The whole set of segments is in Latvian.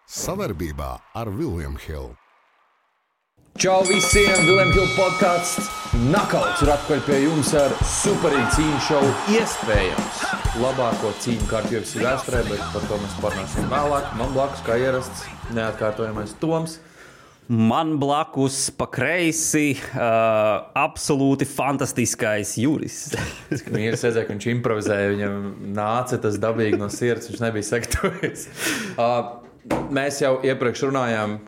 Savarbībā ar William Hill. Čau visiem! William Hill podcasts Knockouts ir atpakaļ pie jums ar superīgu cīņu šovu. Iespējams labāko cīņu kārtu UFC vēsturē, bet par to mēs parunāsim vēlāk. Man blakus, kā ierasts, neatkārtojamais Toms. Man blakus pa kreisi absolūti fantastiskais Juris. Mīri sēdzēja, ka viņš improvizēja, viņam nāca tas dabīgi no sirds, viņš nebija sagatavojies. Mēs jau iepriekš runājām,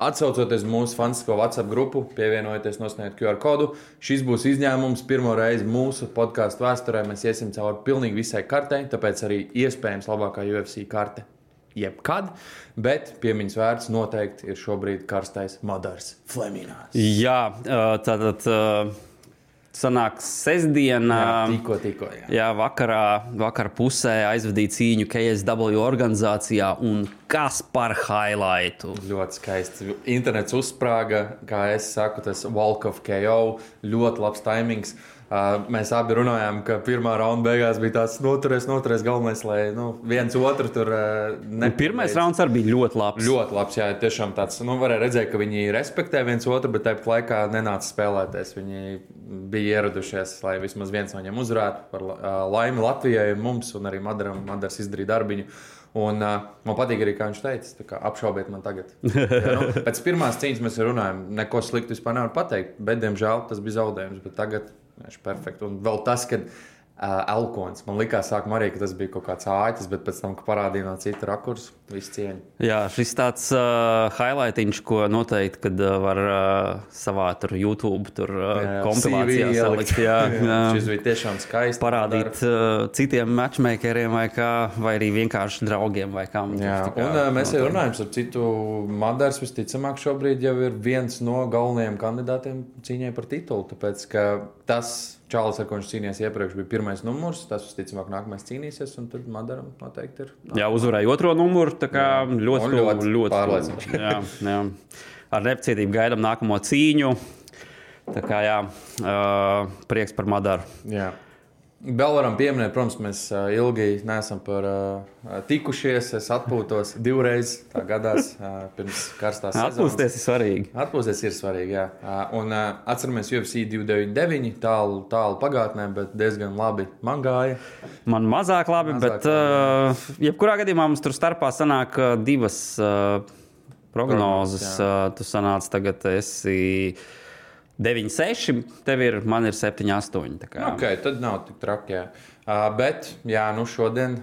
atsaucoties mūsu fantastisko WhatsApp grupu, pievienojieties, nosniegt QR kodu. Šis būs izņēmums. Pirmo reizi mūsu podcastu vēsturē mēs iesim cauri pilnīgi visai kartei, tāpēc arī iespējams labākā UFC karte jebkad, bet piemiņas vērts noteikti ir šobrīd karstais Madars Fleminās. Jā, tātad sanāk sestdiena. Tikko. Jā, vakar pusē aizvadīja cīņu KSW organizācijā un kas par highlightu. Ļoti skaists. Internets uzsprāga, kā es saku, tas Walk of KO, ļoti labs taimings. Mēs abi runājām, ka pirmā raunda beigās bija tāds noturēs galvenais, lai viens otru tur nepārbeidz. Pirmais rauns arī bija ļoti labs. Ļoti labs, jā, tiešām tāds, varēja redzēt, ka viņi respektē viens otru, bet tāpat laikā nenāca spēlēties. Viņi bija ieradušies, lai vismaz viens no viņiem uzvarētu par laimi Latvijai un mums, un arī Madars izdarīja darbiņu. Un man patīk arī, kā viņš teica, tā kā apšaubiet man tagad. Jā, pēc pirmās cīņas mēs runājam, neko sliktu vispār nevar pateikt, bet, diemžēl, tas bija zaudējums, bet tagad viņš ir perfekti. Un vēl tas, ka Elkons, man likās sākumā arī, ka tas bija kaut kāds āķis, bet pēc tam, ka parādīja no cita rakursa, viss cieņa. Jā, šis tāds highlightiņš, ko noteikti, kad var savā tur YouTube tur kompilācijā salikt. Jā. Šis bija tiešām skaisti. Parādīt citiem matchmakeriem vai arī vienkārši draugiem vai kam. Jā, un mēs jau runājam ar citu. Madars visticamāk šobrīd jau ir viens no galvenajiem kandidātiem cīņai par titulu, tāpēc, ka tas Čālis, ar ko viņš cīnījās iepriekš, bija pirmais numurs. Tas, visticamāk, nākamais cīnīsies, un tad Madaram noteikti ir. Jā, uzvarēja otro numuru, tā kā ļoti pārliecinoši. Jā. Ar nepacietību gaidām nākamo cīņu. Tā kā jā, prieks par Madaru. Jā. Vēl varam pieminēt, protams, mēs ilgi neesam tikušies. Es atpūtos divreiz tā gadās pirms karstās sezonas. Atpūsties ir svarīgi. Atpūsties ir svarīgi, jā. Un atceramies UFC 299, tālu pagātnē, bet diezgan labi man gāja. Man mazāk labi, bet jebkurā gadījumā mums tur starpā sanāk divas prognozes. Tu sanāc tagad esi 9-6, man ir 7-8. Ok, tad nav tik traki, jā. Bet, jā, šodien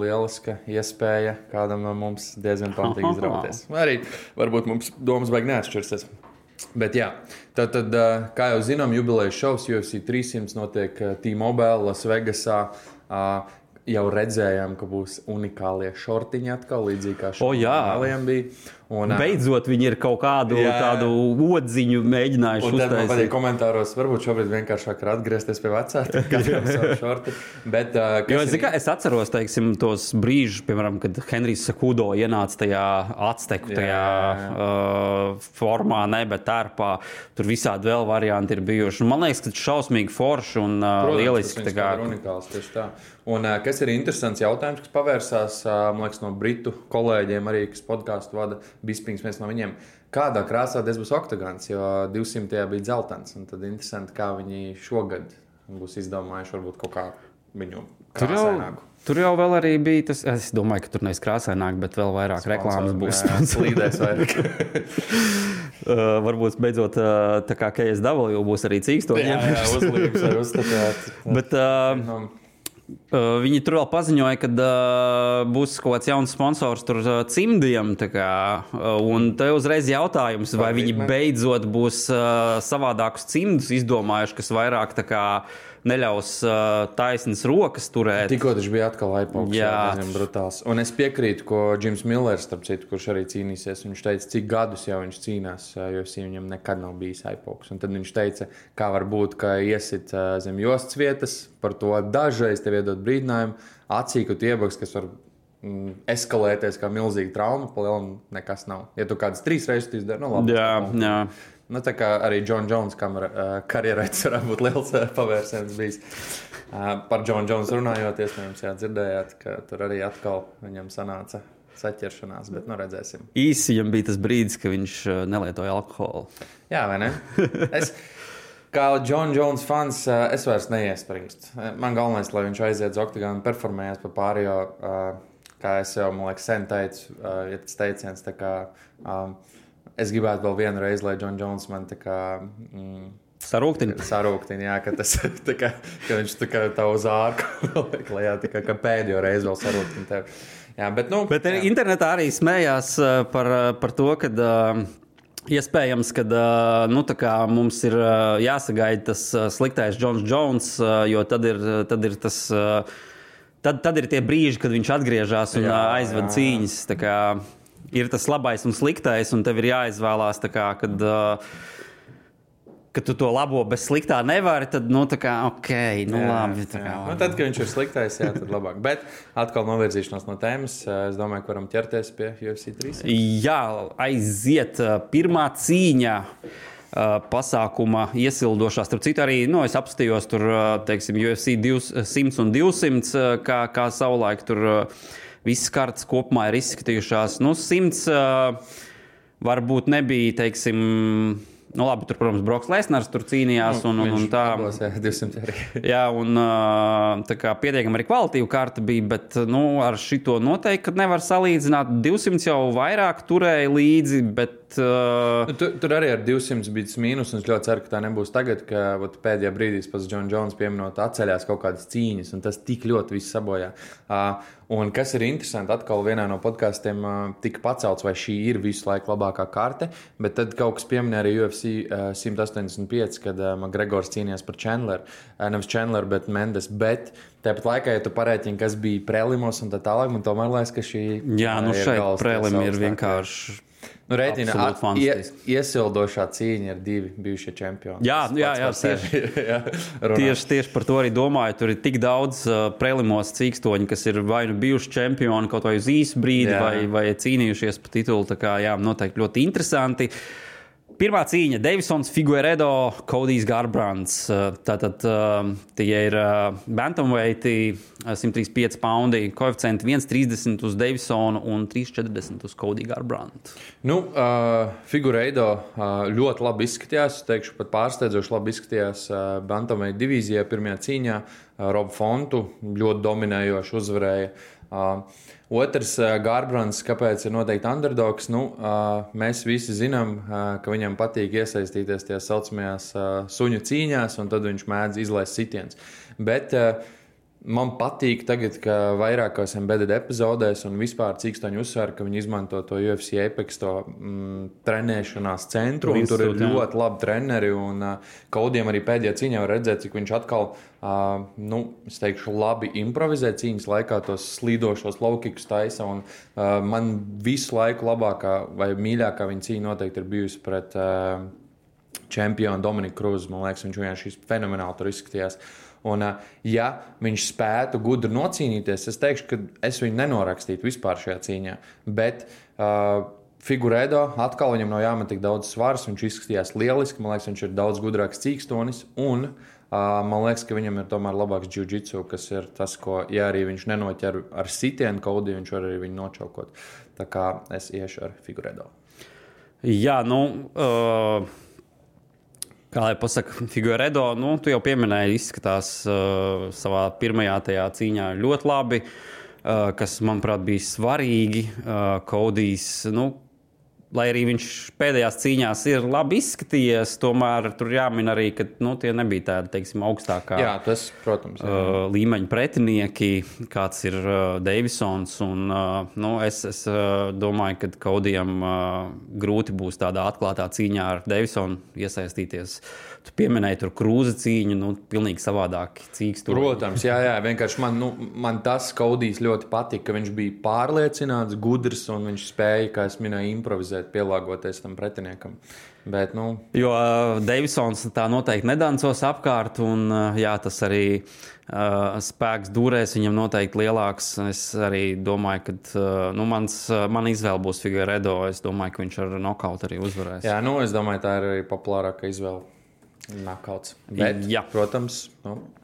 lieliska iespēja kādam no mums diezgan pamatīgi izrauties. Arī varbūt mums domas baigi neatšķirsies. Bet jā, tad kā jau zinām, jubilejas šovs UFC 300 notiek T-Mobile, Las Vegasā. Jau redzējām, ka būs unikālie šortiņi atkal, līdzīgi kā šortiņiem bija. Un, beidzot, viņi ir kaut kādu tādu odziņu mēģinājuši uztaisīt. Un tad man patīk komentāros, varbūt šobrīd vienkāršāk ir atgriezties pie vecā, katram savu šorti. Bet, es atceros, teiksim, tos brīžus, piemēram, kad Henrijs Cejudo ienāca tajā Azteku, formā, bet tērpā. Tur visādi vēl varianti ir bijuši. Man liekas, ka tas šausmīgi forši un lieliski. Tas ir unikāls, tieši tā. Un kas ir interesants jautājums, kas pavērsās, man liekas, no britu kolēģiem arī, kas podcastu vada, Bispings, viens no viņiem. Kādā krāsā tas būs oktagons, jo 200. bija dzeltens. Un tad interesanti, kā viņi šogad būs izdomājuši varbūt kaut kā viņu krāsaināku. Tur jau vēl arī bija tas, es domāju, ka tur nevis krāsaināk, bet vēl vairāk reklāmas būs. Slīdēs vairāk. Varbūt beidzot tā kā KSW būs arī cīkstoņi. Jā, uzlīgs var uzstatāt. Bet viņi tur vēl paziņoja, ka būs kaut kāds jauns sponsors tur cimdiem. Un te uzreiz jautājums, vai viņi beidzot būs savādākus cimdus izdomājuši, kas vairāk neļaus taisnas rokas turēt. Tikko taču bija atkal aizpauks, brutāls. Un es piekrītu, ko Jims Millers, starp citu, kurš arī cīnīsies, viņš teica, cik gadus jau viņš cīnās, jo viņam nekad nav bijis aizpauks. Un tad viņš teica, kā var būt, ka iesit zem jostas vietas, par to dažreiz tev iedot brīdinājumu, acīkut iebaks, kas var eskalēties kā milzīga trauma, palielam nekas nav. Ja tu kādas 3 reizes izdari, labi. Jā. Tā kā arī John Jones karjerā varētu būt liels pavērsiens bijis. Par John Jones runājot, iespējams, dzirdējāt, ka tur arī atkal viņam sanāca saķeršanās, bet nu redzēsim. Īsi viņam bija tas brīdis, ka viņš nelietoja alkoholu. Jā, vai ne? Kā John Jones fans, es vairs neiespringstu. Man galvenais, lai viņš aiziet uz oktagonu un performējās pa pārējo, kā es jau, man liekas, sen teicu, ja tas teiciens, tā kā es gribētu vēl vienu reizi, lai John Jones man tā kā... Sarūktina, jā, ka tas tā kā, ka viņš tā kā tā uz ārku lejā, tā kā pēdējo reizi vēl sarūktina tevi. Jā, bet nu... Bet internetā arī smējās par to, kad iespējams, ka nu, mums ir jāsagaida tas sliktais Johns Jones, jo tad ir tas... Tad ir tie brīži, kad viņš atgriežas un aizved cīņas. Tā kā ir tas labais un sliktais, un tev ir jāizvēlās, tā kā, kad tu to labo bez sliktā nevari, tad, nu, tā kā, ok, nu, labi. Tā kā, nu, tad, kad viņš ir sliktais, jā, tad labāk. Bet atkal novirzīšanās no tēmas, es domāju, ka varam ķerties pie UFC 300. Jā, aiziet pirmā cīņa. Pasākuma iesildošās. Starp citu, arī es apstājos tur, teiksim, UFC 100 un 200, kā savulaik tur visas kartas kopumā ir izskatījušās. 100 varbūt nebija, teiksim, labi, tur, protams, Broks Lesners tur cīnījās un tā. Abos, jā, 200 arī. Jā, un tā kā pietiekami arī kvalitīva karta bija, bet, ar šito noteikti nevar salīdzināt. 200 jau vairāk turēja līdzi, bet... Tur arī ar 200 bija tas mīnus, un es ļoti ceru, ka tā nebūs tagad, ka pēdējā brīdī pēc John Jones pieminot atceļās kaut kādas cīņas, un tas tik ļoti viss sabojā. Un kas ir interesanti, atkal vienā no podkastiem tika pacelts, vai šī ir visu laiku labākā karte, bet tad kaut kas pieminēja arī UFC 185, kad McGregors cīnījās par Chandler, nevis Chandler, bet Mendes, bet tāpat laikā, ja tu parēķini, kas bija prelimos un tā tālāk, man tomēr liekas, ka šī... Jā, šeit prelimi ir vienkārši... Rēķina, iesildošā cīņa ir 2 bijušie čempioni. Jā, tieši par to arī domāju. Tur ir tik daudz prelimos cīkstoņi, kas ir vai nu bijuši čempioni kaut vai uz īsu brīdi, vai cīnījušies par titulu. Tā kā, jā, noteikti ļoti interesanti. Pirmā cīņa - Deivsons, Figueiredo, Codijs Garbrands. Tātad tie ir bantamveiti, 135 paundi, koeficienti 1,30 uz Deivsonu un 3,40 uz Codiju Garbrandu. Figueiredo ļoti labi izskatījās, teikšu pat pārsteidzoši labi izskatījās bantamveiti divīzijā pirmajā cīņā. Robu Fontu ļoti dominējoši uzvarēja. Otrs, Garbrands, kāpēc ir noteikti underdogs? Mēs visi zinām, ka viņam patīk iesaistīties tajās saucamajās suņu cīņās, un tad viņš mēdz izlaist sitiens. Bet man patīk tagad, ka vairākos embedded epizodēs un vispār cīkstoņi uzsver, ka viņi izmanto to UFC Apex, to trenēšanās centru, un tur ir ļoti labi treneri, un Codijam arī pēdējā cīņā var redzēt, cik viņš atkal, es teikšu, labi improvizē cīņas laikā tos slīdošos low-kickus taisa, un man visu laiku labākā vai mīļākā viņa cīņa noteikti ir bijusi pret čempionu Dominiku Kruzu. Man liekas, viņš vienkārši fenomenāli tur izskatījās. Un, ja viņš spētu gudri nocīnīties, es teikšu, ka es viņu nenorakstītu vispār šajā cīņā. Bet Figueiredo atkal viņam nav jāmet tik daudz svars, viņš izskatījās lieliski, man liekas, viņš ir daudz gudrāks cīkstonis, un man liekas, ka viņam ir tomēr labāks jiu-jitsu, kas ir tas, ko, ja arī viņš nenoķer ar sitienu Codiju, viņš var arī viņu nočaukot. Tā kā es iešu ar Figueiredo. Jā, kā lai pasaka, Figueiredo, tu jau pieminēji, izskatās savā pirmajā tajā cīņā ļoti labi, kas, manuprāt, bija svarīgi. Codijs, lai arī viņš pēdējās cīņās ir labi izskatījies, tomēr tur jāmin arī, ka tie nebija tādi, teiksim, augstākā tas, protams, līmeņa pretinieki, kāds ir Deivsons. Un, es domāju, ka Codijam grūti būs tādā atklātā cīņā ar Deivsonu iesaistīties. Tu pieminēji tur Krūza cīņu, pilnīgi savādāk cīkstoši. Protams, jā, vienkārši man tas Codijs ļoti patika, ka viņš bija pārliecināts, gudrs, un viņš spēja, kā es minēju, improvizēt, pielāgoties tam pretiniekam. Bet, Jo Deivsons tā noteikti nedancos apkārt, un tas arī spēks dūrēs viņam noteikti lielāks. Es arī domāju, ka man izvēle būs Figueiredo. Es domāju, ka viņš ar nokautu arī uzvarēs. Jā, es domāju, tā ir arī populārākā izvēle. Nakauts. Bet, protams,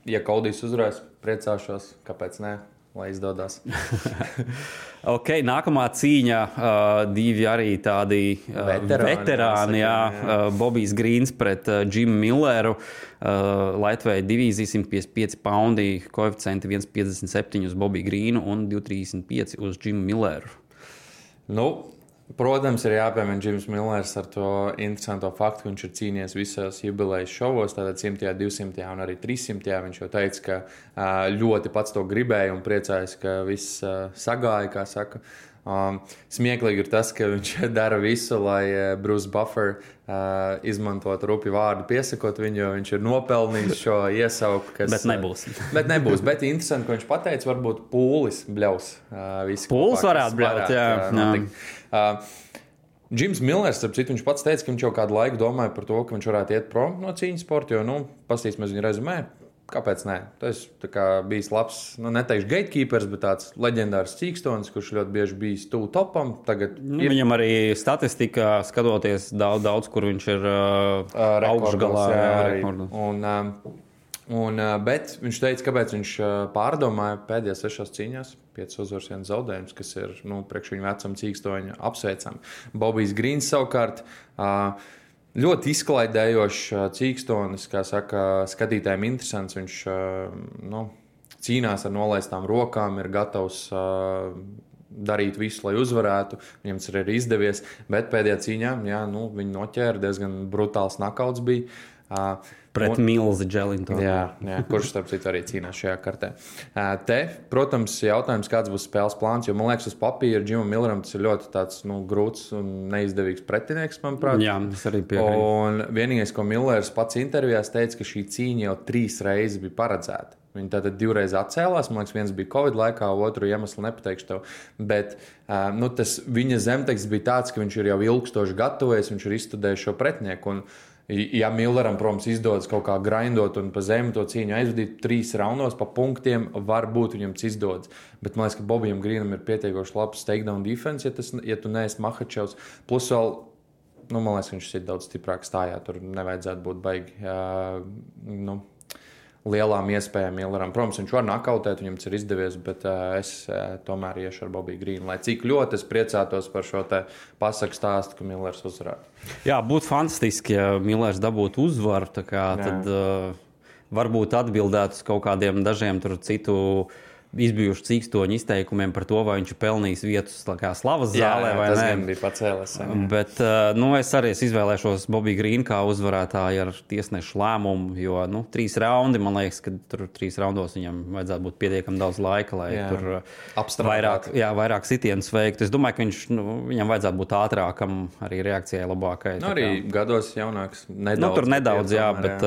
ja Codijs uzvarēs, priecāšos, kāpēc ne? lai izdodas. Ok, nākamā cīņa, divi arī tādi veterāni, Bobijs Grīns pret Jimu Milleru, Lightweight divīzija 155 paundi, koeficienti 1,57 uz Bobiju Grīnu un 2,35 uz Jimu Milleru. Protams, ir jāpiemina Jims Millers ar to interesanto faktu, ka viņš ir cīnījies visos jubilejas šovos, tātad 100., 200. un arī 300. Viņš jau teica, ka ļoti pats to gribēja un priecājas, ka viss sagāja, kā saka. Smieklīgi ir tas, ka viņš dara visu, lai Bruce Buffer izmantot rupju vārdu piesakot viņu, jo viņš ir nopelnījis šo iesauku. Bet nebūs. Bet interesanti, ka viņš pateica, varbūt pūlis bļaus. Pūlis varētu bļaut, jā. Jims Millers, starp citu, viņš pats teica, ka viņš jau kādu laiku domāja par to, ka viņš varētu iet prom no cīņas sporta, jo, pastīsimies viņa rezumē. Kāpēc nē? Tas bijis labs, neteikšu gatekeepers, bet tāds leģendārs cīkstonis, kurš ļoti bieži bijis tuvu topam. Viņam arī statistika, skatoties daudz, kur viņš ir augšgalā. Bet viņš teica, kāpēc viņš pārdomāja pēdējās 6 cīņās, 5 uzvaras, 1 zaudējums, kas ir priekš viņu vecam cīkstoņu apsveicam. Bobijs Grīns savukārt ļoti izklaidējošs cīkstonis, kā saka, skatītājiem interesants. Viņš cīnās ar nolaistām rokām, ir gatavs darīt visu, lai uzvarētu. Viņam tas ir izdevies, bet pēdējā cīņā viņu noķēra, diezgan brutāls nakauts bija. Pret Milzi Dželintonu. Jā, kurš starp citu arī cīnās šajā kartē. Protams, jautājums, kāds būs spēles plāns, jo, man liekas, uz papīra Jimam Milleram tas ir ļoti tāds, grūts un neizdevīgs pretinieks, manuprāt. Jā, tas arī piekrīt. Un vienīgais, ko Millers pats intervijās teica, ka šī cīņa jau 3 reizes bija paredzēta. Viņi tātad 2 reizes atcēlās, man liekas, viens bija Covid laikā, otru iemeslu nepateikšu tev, bet tas viņa zemteksts bija tāds, ka viņš ir jau ilgstoši gatavojies, viņš ir izstudējis šo pretinieku. Un, ja Milleram, protams, izdodas kaut kā grindot un pa zemi to cīņu aizvadīt 3 raundos pa punktiem, varbūt viņam tas izdodas. Bet man liekas, ka Bobijam Grīnam ir pietiekoši labs takedown defense, ja tu neesi Makhačevs. Plus vēl, man liekas, viņš ir daudz stiprāk stājā, tur nevajadzētu būt baigi, lielām iespējām Milleram. Protams, viņš var nakautēt, viņam tas ir izdevies, bet es tomēr iešu ar Bobiju Grīnu. Lai cik ļoti es priecātos par šo te pasaku stāstu, ka Millers uzvarētu. Jā, būtu fantastiski, ja Millers dabūtu uzvaru, tad varbūt atbildētu uz kaut kādiem dažiem citu izbijuši cīkstoņu izteikumiem par to, vai viņš ir pelnījis vietu slavas zālē vai nē. Tas gan bija pacēlies. Bet es arī izvēlēšos Bobiju Grīnu kā uzvarētāju ar tiesnešu lēmumu, jo 3 raundi, man liekas, ka tur 3 raundos viņam vajadzētu būt pietiekami daudz laika, lai tur vairāk sitienus veikt. Es domāju, ka viņam vajadzētu būt ātrākam, arī reakcijai labākai. Arī gados jaunāks. Tur nedaudz, bet...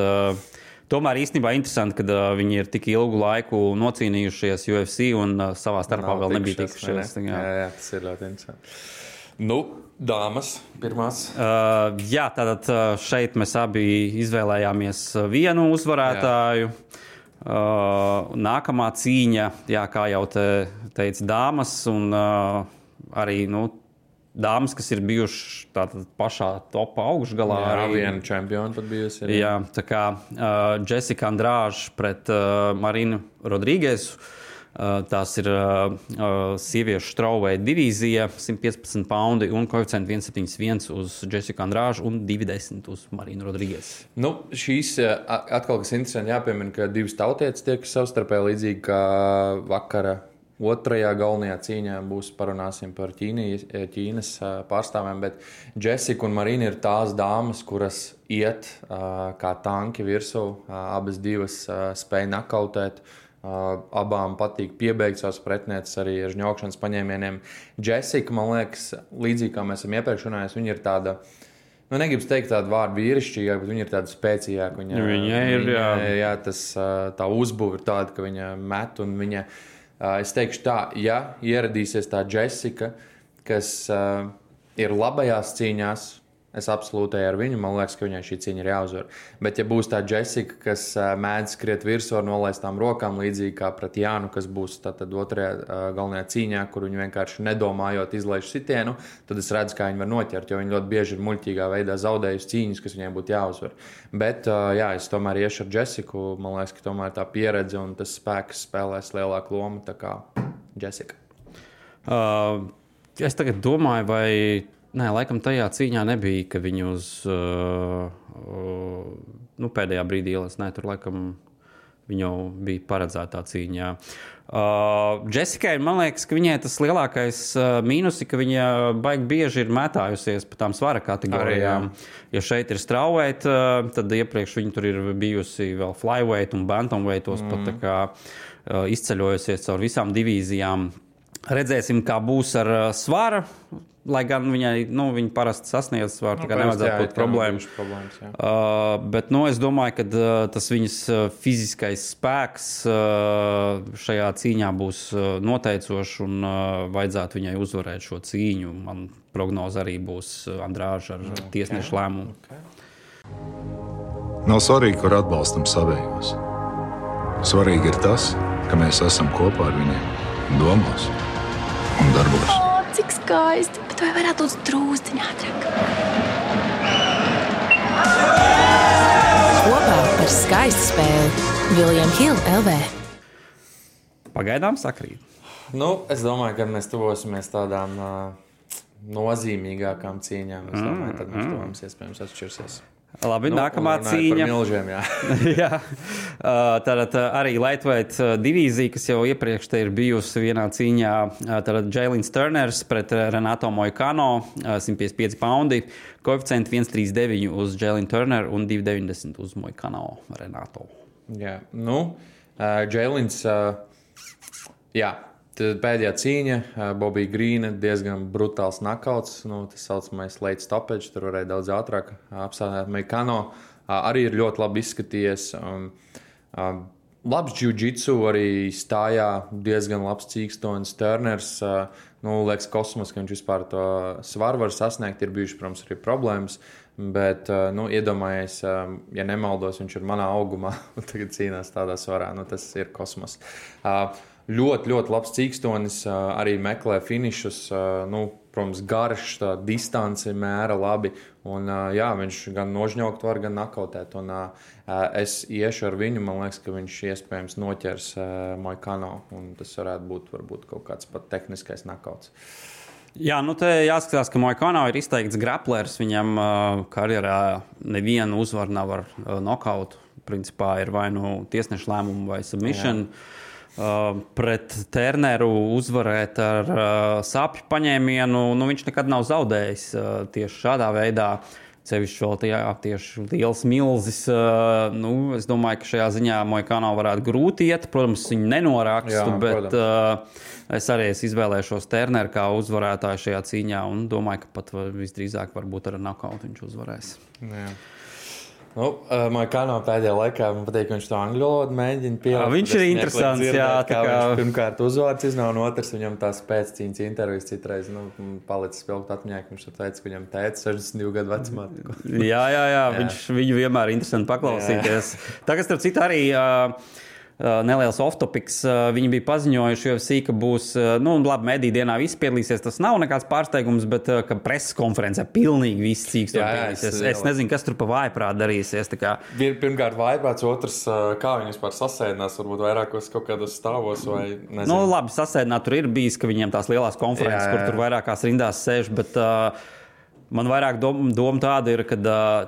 Tomēr īstenībā interesanti, ka viņi ir tik ilgu laiku nocīnījušies UFC un savā starpā vēl nebija tikušies. Jā, tas ir ļoti interesanti. Dāmas pirmās. Tātad šeit mēs abi izvēlējāmies vienu uzvarētāju. Nākamā cīņa, kā jau teica, dāmas un arī, dāmas, kas ir bijušas pašā topā augšgalā. Jā, viena čempiona pat bijusi. Jā, tā kā Jessica Andrade pret Marinu Rodrīgesu. Tās ir sieviešu strawweight divīzija, 115 paundi un koeficienti 1,71 uz Jessica Andrade un 2,10 uz Marinu Rodrīgesu. Šīs atkal, kas interesanti jāpiemina, ka 2 tautietes tiek savstarpēji līdzīgi kā vakara. Otrajā galvenajā cīņā parunāsim par Ķīnas pārstāvēm, bet Jessica un Marina ir tās dāmas, kuras iet kā tanki virsū, abas divas spēj nakautēt, abām patīk piebeigt savas pretnieces arī ar žņaukšanas paņēmieniem. Jessica, man liekas, līdzīgi kā mēs esam iepriekš runājuši, viņa ir tāda, negribu teikt tādu vārdu vīrišķīgāk, bet viņa ir tāda spēcīgāka. Tā uzbūve ir tāda, ka viņa met un viņa... Es teikšu tā, ja ieradīsies tā Jessica, kas ir labajās cīņās, Es absolūti ar viņu, man liekas, ka viņai šī cīņa ir jāuzvar. Bet, ja būs tā Jessica, kas mēdz skriet virsū ar nolaistām rokām, līdzīgi kā pret Jānu, kas būs tad otrajā galvenajā cīņā, kur viņi vienkārši nedomājot izlaiž sitienu, tad es redzu, kā viņi var noķert, jo viņi ļoti bieži ir muļķīgā veidā zaudējusi cīņas, kas viņiem būtu jāuzvar. Bet, jā, es tomēr iešu ar Jessiku, man liekas, ka tomēr tā pieredze un tas spēks spēlēs lielāku lomu, tā kā Jessica. Es tagad domāju, vai... Nē, laikam tajā cīņā nebija, ka viņi uz pēdējā brīdī ielas. Nē, tur laikam viņa jau bija paredzētā cīņā. Jessikai, man liekas, ka viņai tas lielākais mīnus ir, ka viņa baigi bieži ir mētājusies pa tām svara kategorijām. Ja šeit ir strawweight, tad iepriekš viņa tur ir bijusi vēl flyweight un bantamweightos pat tā kā izceļojusies caur visām divīzijām. Redzēsim, kā būs ar svara. Lai gan viņa parasti sasniedz svaru, tā kā nevajadzētu būt problēmas. Bet es domāju, ka tas viņas fiziskais spēks šajā cīņā būs noteicošs un vajadzētu viņai uzvarēt šo cīņu. Man prognoze arī būs Andrāža ar tiesnešu lēmumu. Nav svarīgi, kur atbalstam savējos. Svarīgi ir tas, ka mēs esam kopā ar viņiem domās un darbos. Cik skaisti, bet vai varētu būt drūzdiņā ātrāk? Kopā par skaistu spēli William Hill LV. Pagaidām sakrīt. Es domāju, ka mēs tuvosimies tādām nozīmīgākām cīņām. Es domāju, tad mums tuvams iespējams atšķirsies. Labi, nākamā cīņa. Par milžiem, jā. Jā. Tātad arī lightweight divīzija, kas jau iepriekš te ir bijusi vienā cīņā. Tātad Jailins Turners pret Renato Moicano, 155 poundi. Koeficienti 1,39 uz Jailin Turner un 2,90 uz Moicano Renato. Jā, Jailins, jā. Tad pēdējā cīņa, Bobija Grīna, diezgan brutāls nakauts, tas saucamais late stoppage, tur varēja daudz ātrāk apstādināt Moicano. Arī ir ļoti labi izskatījies. Labs jiu-jitsu arī stājā, diezgan labs cīkstonis Turners. Liekas kosmos, ka viņš vispār to svaru var sasniegt, ir bijuši, protams, arī problēmas. Bet, iedomājies, ja nemaldos, viņš ir manā augumā un tagad cīnās tādā svarā. Tas ir kosmos. Ļoti, ļoti labs cīkstonis, arī meklē finišus, protams, garš, tā distance mēra labi, un jā, viņš gan nožņaukt var, gan nakautēt, un es iešu ar viņu, man liekas, ka viņš iespējams noķers Moicano, un tas varētu būt kaut kāds pat tehniskais nakauts. Jā, te jāskatās, ka Moicano ir izteikts graplers, viņam karjerā nevienu uzvaru nav ar nokautu, principā ir vai tiesnešu lēmumu vai submission. Jā. Pret Turneru uzvarēt ar sāpju paņēmienu, viņš nekad nav zaudējis tieši šādā veidā. Sevišķi vēl tieši liels milzis. Es domāju, ka šajā ziņā Moicano varētu grūti iet. Protams, viņu nenorakstu, bet es arī izvēlēšos Turneru kā uzvarētāju šajā cīņā un domāju, ka pat visdrīzāk varbūt ar nokautu viņš uzvarēs. Jā. Moicano pēdējā laikā man patīk, ka viņš to angļu valodu mēģina pielikt. Viņš ir interesants, jā. Viņš pirmkārt uzvārds iznāk, un otrs viņam tās pēccīņas intervijas citreiz palicis spilgt atmiņā, ka viņš teica, ka viņam tētis 62 gadu vecumā. Jā. Viņu vienmēr ir interesanti paklausīties. Tagad, starp citu, arī neliels off-topics. Viņi bija paziņojuši UFC, ka būs, mediju dienā visi piedalīsies. Tas nav nekāds pārsteigums, bet ka preses konferencē pilnīgi viss cīks tur piedalīsies. Es nezinu, kas tur pa vājprāt darīsies. Pirmkārt vājprāts, otrs, kā viņi vispār sasēdinās, varbūt vairākos kaut kādos stāvos vai nezinu. Labi, sasēdināt tur ir bijis, ka viņiem tās lielās konferences, kur tur vairākās rindās sēž, bet man vairāk doma tāda ir, ka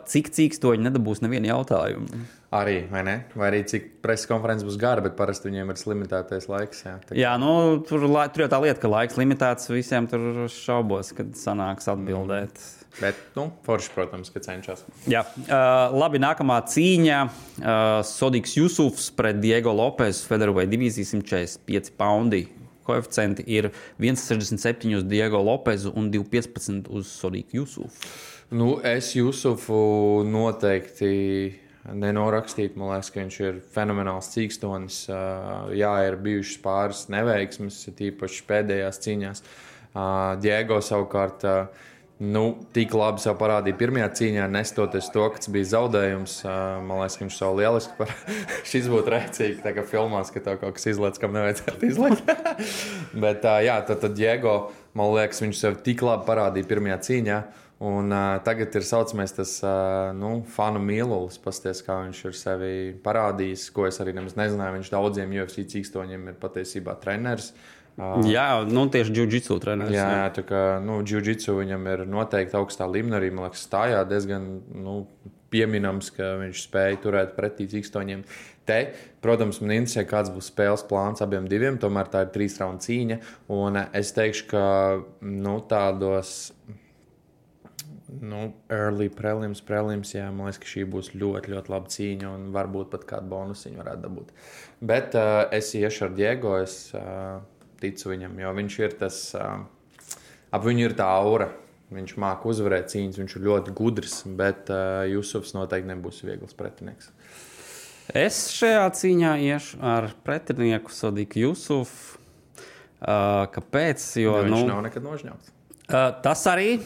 cik cīkstoņi nedabūs nevienu jautājumu. Arī, vai ne? Vai arī cik preses konferences būs gara, bet parasti viņiem ir limitētais laiks. Jā, tur jau tā lieta, ka laiks limitēts, visiem tur šaubos, kad sanāks atbildēt. Bet, forši, protams, ka cenšas. Jā, labi, nākamā cīņa. Sodiks Jusufs pret Diego Lopes, featherweight divīzija 145 poundi. Koeficienti ir 1,67 uz Diego Lopezu un 2,15 uz Sodiku Jusufu. Es Jusufu noteikti nenorakstīt. Man liekas, ka viņš ir fenomenāls cīkstonis. Jā, ir bijušas pāris neveiksmes, tīpaši pēdējās cīņās. Diego savukārt Tik labi sev parādīja pirmajā cīņā, nestoties to, ka tas bija zaudējums. Man liekas, ka viņš savu lieliski šis būtu rēcīgi, tā kā filmās, ka tev kaut kas izlaiž, kam nevajadzētu izlaikt. Bet tad Diego, man liekas, viņš sev tik labi parādīja pirmajā cīņā. Un tagad ir saucamais tas fanu mīlulis, pasties, kā viņš ir sevi parādījis, ko es arī nemaz nezināju. Viņš daudziem UFC cīkstoņiem ir patiesībā treneris. Tieši jiu-jitsu treneris. Jā, tā kā jiu-jitsu viņam ir noteikti augstā līmenī, arī, man liekas, stājā diezgan pieminams, ka viņš spēja turēt pretī cīkstoņiem. Protams, man interesē, kāds būs spēles plāns abiem diviem, tomēr tā ir 3 raundu cīņa, un es teikšu, ka tādos early prelims, jā, man liekas, ka šī būs ļoti, ļoti laba cīņa un varbūt pat kādu bonusiņu varētu dabūt. Bet es iešu ar Diego, es ticu viņam, jo viņš ir tas, ap viņu ir tā aura, viņš māk uzvarēt cīņas, viņš ir ļoti gudrs, bet Jusufs noteikti nebūs viegls pretinieks. Es šajā cīņā iešu ar pretinieku Sodiku Jusufu. Kāpēc? Jo viņš nav nekad nožņauts. Tas arī,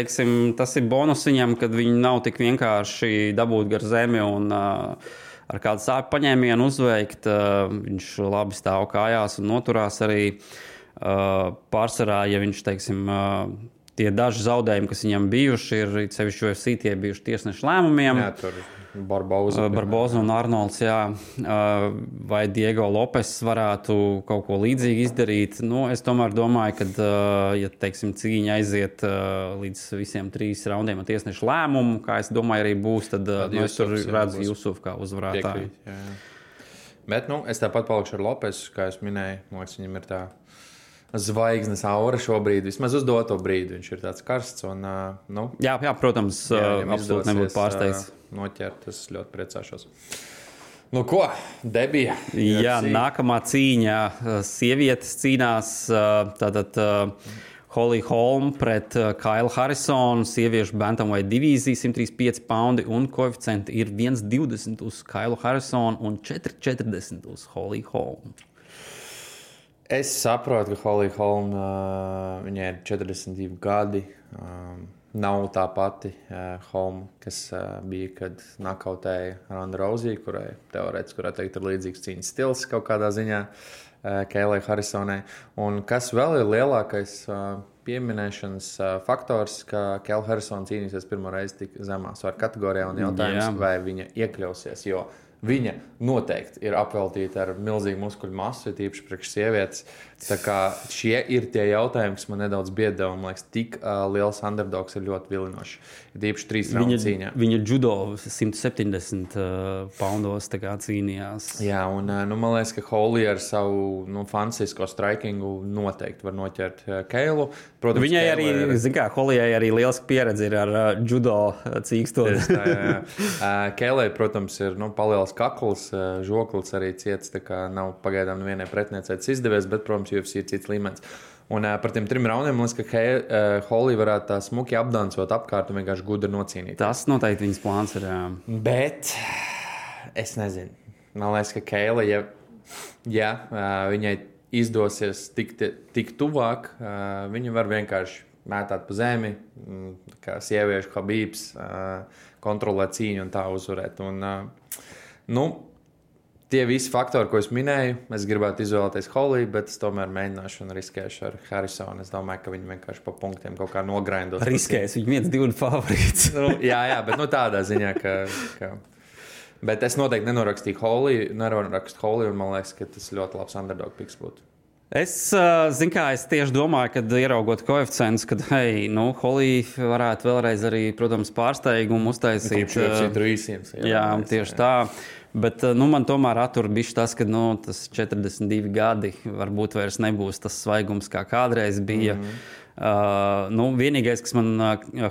tas ir bonus viņam, kad viņi nav tik vienkārši dabūt gar zemi un ar kādu sāpju paņēmienu uzveikt. Viņš labi stāv kājās un noturās arī pārsvarā, ja viņš, tie daži zaudējumi, kas viņam bijuši, ir sevišķi UFC, tie bijuši tiesnešu lēmumiem. Jā, tur Barboza un Arnolds, jā. Vai Diego Lopes varētu kaut ko līdzīgi izdarīt. Es tomēr domāju, ka, ja cīņa aiziet līdz visiem 3 raundiem ar tiesnešu lēmumu, kā es domāju arī būs, tad es tur redzu Jusufu kā uzvarētāju. Bet, es tāpat palikšu ar Lopesu, kā es minēju. Man liekas, viņam ir tā zvaigznes aura šobrīd, vismaz uz doto brīdi. Viņš ir tāds karsts un, Jā, protams, absolūti nebūtu pārsteigts. Noķert, es ļoti priecāšos. Ko? Debija? Jā, nākamā cīņa. Sievietes cīnās tātad Holly Holm pret Kailu Harrisonu. Sieviešu bantamweight divīzija 135 paundi un koeficienti ir 1,20 uz Kailu Harrisonu un 4,40 uz Holly Holm. Es saprotu, ka Holly Holm, viņai ir 42 gadi. Nav tā pati Holm, kas bija, kad nakautēja Ronda Rousey, kurai teorētiski varētu teikt ir līdzīgs cīņas stils kaut kādā ziņā Kailai Harrisonai. Un kas vēl ir lielākais pieminēšanas faktors, ka Kaila Harrisona cīnīsies pirmo reizi tik zemā svaru kategorijā un jautājums, vai viņa iekļausies, jo viņa noteikti ir apveltīta ar milzīgu muskuļu masu, tīpaši priekš sievietes. Tā kā šie ir tie jautājumi, kas man nedaudz biedē, un, man liekas, tik liels underdogs ir ļoti vilinoši. Tīpaši 3 raundu cīņā. Viņa judo 170 poundos tā kā cīnījās. Jā, un man liekas, ka Holly ar savu fantastisko strikingu noteikti var noķert Kailu. Protams, viņai arī, Hollyai arī liels pieredze ir ar judo cīkstoni. Kailai, protams, ir palielas kakls, žoklis arī ciets, tā kā nav pagaidām nevienai pretiniecētas izdevies, bet, protams, UFC ir cits līmenis. Un par tiem 3 raundiem, man liekas, ka Holly varētu tā smuki apdancot apkārt un vienkārši gudri nocīnīt. Tas noteikti viņas plāns ir. Bet es nezinu. Man liekas, ka Kaila, ja viņai izdosies tik tuvāk, viņa var vienkārši mētāt pa zemi, kā sieviešu Habibs, kontrolēt cīņu un tā uzvarēt. Un, tie visi faktori, ko es minēju, es gribētu izvēlēties Holly, bet es tomēr mēģināšu un riskēšu ar Harrisonu. Es domāju, ka viņi vienkārši pa punktiem kaut kā nogrindos. Riskēs, viņi 1-2 favorīts. Jā, bet tādā ziņā, ka... Bet es noteikti nenorakstu Holly, un man liekas, ka tas ļoti labs underdog picks būtu. Es tieši domāju, kad ieraugot koeficientus, kad, Holly varētu vēlreiz arī, protams, pārsteigumu uztaisīt. Jā, tieši tā. Bet man tomēr attur bišķi tas, ka tas 42 gadi varbūt vairs nebūs tas svaigums, kā kādreiz bija. Vienīgais, kas man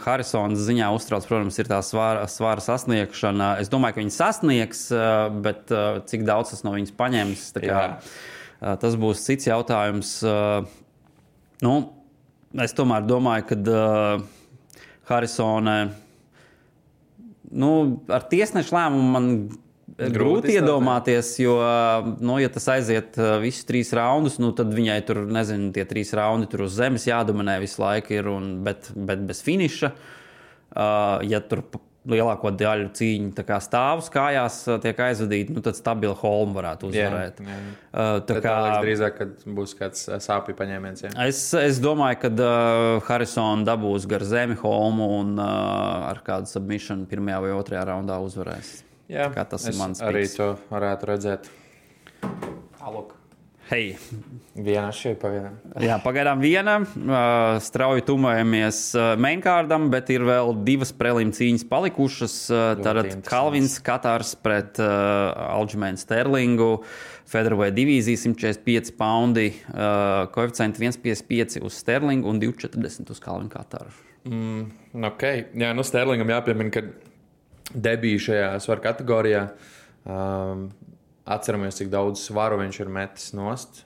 Harrisonas ziņā uztrauc, protams, ir tā svara sasniegšana. Es domāju, ka viņi sasniegs, bet cik daudz tas no viņas paņems, tā kā, tas būs cits jautājums. Es tomēr domāju, ka Harrisone ar tiesnešu lēmumu grūti iedomāties, jo, ja tas aiziet visus 3 raundus, tad viņai tur, nezinu, tie 3 raundi tur uz zemes jādominē visu laiku ir, bet bez finiša. Ja tur lielāko daļu cīņu tā kā stāvus kājās tiek aizvadīti, tad stabili Holm varētu uzvarēt. Tā kā drīzāk, kad būs kāds sāpju paņēmiens. Es domāju, ka Harrison dabūs gar zemi Holmu un ar kādu submission 1. vai 2. raundā uzvarēs. Jā, tas ir mans arī piks. to varētu redzēt. Aluk. Hei! Viena šeit pagaidām. Jā, pagaidām viena. Strauji tumojamies mainkārdam, bet ir vēl 2 prelim cīņas palikušas. Tātad Kalvins Katars pret Aljamainu Sterlingu. Featherweight divīzija 145 poundi. Koeficienti 1,55 uz Sterlingu un 2,40 uz Kalvinu Kataru. Okay. Jā, Sterlingam jāpiemina, ka debija šajā svaru kategorijā. Atceramies, cik daudz svaru viņš ir metis nost.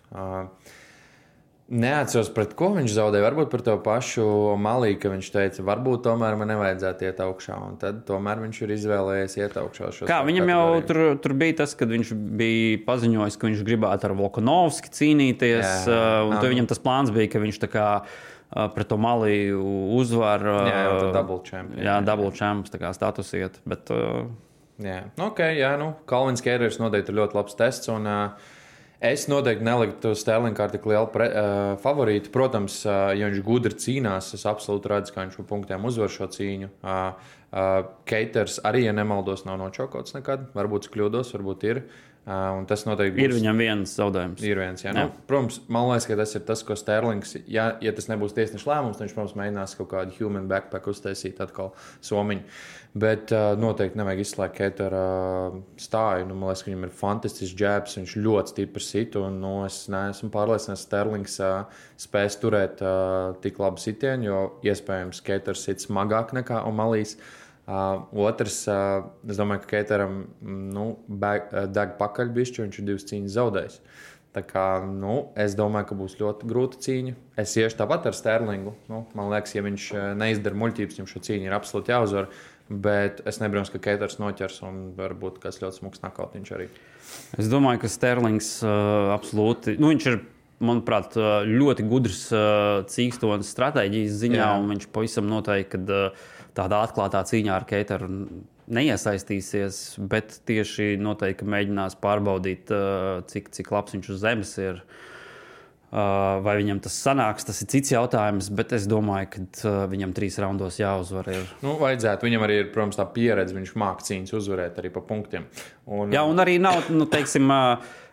Neatceros, pret ko viņš zaudēja. Varbūt par to pašu Malī, ka viņš teica, varbūt tomēr man nevajadzētu iet augšā. Un tad tomēr viņš ir izvēlējies iet augšā. Kā viņam jau tur bija tas, kad viņš bija paziņojis, ka viņš gribētu ar Volkanovski cīnīties. Un to viņam tas plāns bija, ka viņš tā kā pret to Malī uzvar. Jā, double champ. Jā, double champ status iet. Bet... Jā, Kalvins Kēders noteikti ir ļoti labs tests, un es noteikti neliktu Sterlingu kā tik lielu favorītu. Protams, ja viņš gudri cīnās, es absolūti redzu, ka viņš pa punktiem uzvar šo cīņu. Keiters arī, ja nemaldos, nav nočokots nekad. Varbūt kļūdos, varbūt ir. Un tas noteikti būs... Ir viņam viens zaudējums. Ir viens, jā. Protams, man liekas, ka tas ir tas, ko Sterlings, ja tas nebūs tiesneša lēmums, tad viņš, protams, mēģinās kaut kādu human backpack uztaisīt atkal somiņu. Bet noteikti nevajag izslēgt Keitera stāju. Man liekas, ka viņam ir fantastisks jabs, viņš ļoti stipri sit, un es neesmu pārliecināts, ka Sterlings spēs turēt tik labu sitienu, jo iespējams Keiters sit smagāk nekā Omalīs. Otrs, es domāju, ka Keiteram deg pakaļ bišķi, viņš ir 2 cīņas zaudējis. Tā kā, es domāju, ka būs ļoti grūta cīņa. Es iešu tāpat ar Sterlingu. Man liekas, ja viņš neizdara muļķības, viņam šo cīņu ir absolūti jāuzvar. Bet es nebrīnos, ka Keiters noķers un varbūt kāds ļoti smuks nakautiņš arī. Es domāju, ka Sterlings absolūti, viņš ir, manuprāt, ļoti gudrs cīkstonas stratēģijas ziņā, un viņš pavisam noteikti, kad tādā atklātā cīņā ar Keiteru neiesaistīsies, bet tieši noteikti mēģinās pārbaudīt, cik labs viņš uz zemes ir. Vai viņam tas sanāks, tas ir cits jautājums, bet es domāju, ka viņam 3 raundos jāuzvar. Vajadzētu. Viņam arī ir, protams, tā pieredze, viņš māk cīņas uzvarēt arī pa punktiem. Jā, un arī nav, teiksim,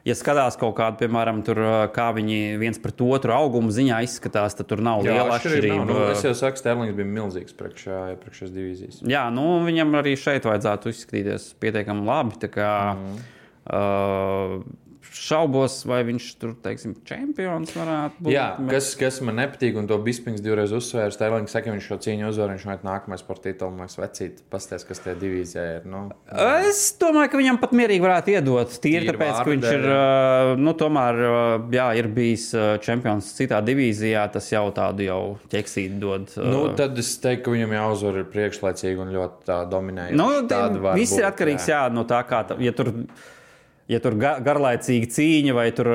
ja skatās kaut kādu, piemēram, tur, kā viņi viens pret otru augumu ziņā izskatās, tad tur nav liela atšķirība. Es jau saku, Sterlings bija milzīgs priekšās divīzijas. Jā, viņam arī šeit vajadzētu izskatīties pietiekami labi, tā kā... Šaubos, vai viņš tur, teiksim, čempions varētu būt. Jā, kas man nepatīk, un to Bispings 2 reizes uzsvēra, Sterlings saka, viņš šo cīņu uzvar, viņš vajag nākamais par titulu, man vecīt, pasties, kas tie divīzijā ir. Es domāju, ka viņam pat mierīgi varētu iedot, tīri tāpēc, ka viņš ir, tomēr, ir bijis čempions citā divīzijā, tas jau tādu jau ķeksīt dod. Tad es teiktu, ka viņam jāuzvar ir priekšlaicīgi un ļoti tā dominēja. Viss ir atkarīgs, no tā kā, ja tur garlaicīga cīņa vai tur,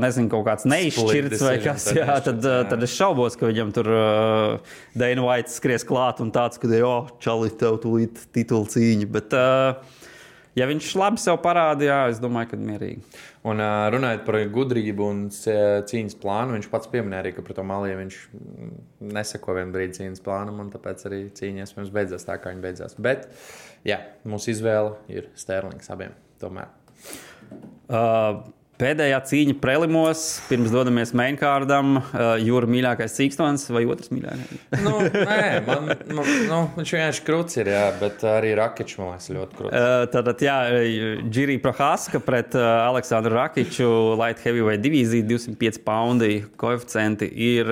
nezinu, kaut kāds neizšķirts vai kas, tad es šaubos, ka viņam tur Dana White skries klāt un tāds, ka, čali, tev tūlīt titula cīņa. Bet, ja viņš labi sev parāda, es domāju, ka mierīgi. Un runājot par gudrību un cīņas plānu, viņš pats pieminēja arī, ka pret Omaliju viņš nesako vienu brīdi cīņas plānam, un tāpēc arī cīņas mums beidzās tā, kā viņa beidzās. Bet, mūsu izvēle ir Sterlings abiem tomēr. Pēdējā cīņa prelimos, pirms dodamies mainkārdam, Jūra mīļākais cīkstons vai otrs mīļākais? Viņš vienkārši kruts ir, bet arī Rakičs, man liekas, ļoti kruts. Tātad, Jiri Prohaska pret Aleksandru Rakiču, light heavyweight divīzija, 205 poundi, koeficienti ir...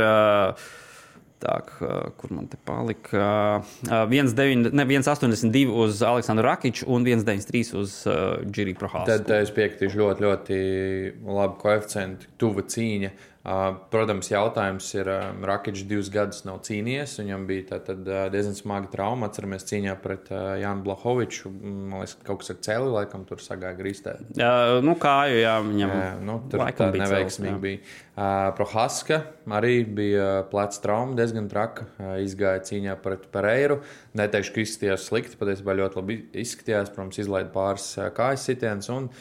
kur man te palika? 1,82 uz Aleksandru Rakiču un 1,93 uz Jiri Prohasku. Tad es piekritīšu ļoti, ļoti labi koeficienti, tuva cīņa. Protams, jautājums ir, Rakičs 2 gadus nav cīnījies, viņam bija tad diezgan smaga trauma, atceramies cīņā pret Jānu Blahoviču, man liekas, kaut kas ar celi, laikam tur sagāja grīstē. Kāju, jā, viņam tur tā neveiksmīgi bija. Prohaska arī bija pleca trauma, diezgan traka, izgāja cīņā pret Pereiru, neteikšu, ka izskatījās slikti, patiesībā ļoti labi izskatījās, protams, izlaida pāris kājas sitiens un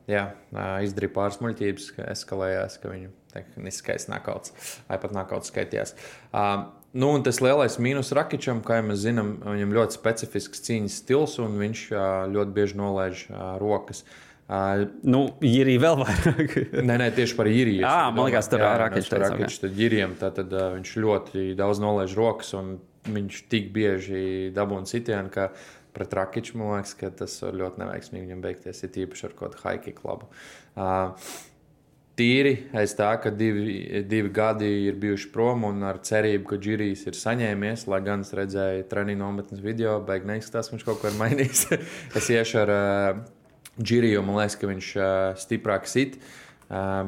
izdarīja pāris muļķības, ka eskalējās, ka viņu tehniskais nakauts, vai pat nakauts skaitījās. Un tas lielais mīnus Rakičam, kā jau mēs zinām, viņam ļoti specifisks cīņas stils, un viņš ļoti bieži nolaiž rokas. Jirī vēl vairāk. Nē, tieši par Jiriju. Man liekas, tur Rakičs teica. Rakičs tad Jirijam, tad viņš ļoti daudz nolaiž rokas, un viņš tik bieži dabūna sitienu, ka pret Rakiču, man liekas, ka tas var ļoti neveiksmīgi viņam beigties, ir tīpaši ar kaut high kick labu. Tīri aiz tā, ka divi gadi ir bijuši prom un ar cerību, ka Jirijs ir saņēmies, lai gan es redzēju treniņu nometnes video, beig neizskatās, ka viņš kaut ko ir mainījis. Es iešu ar Jiriju, man liekas, ka viņš stiprāk sit,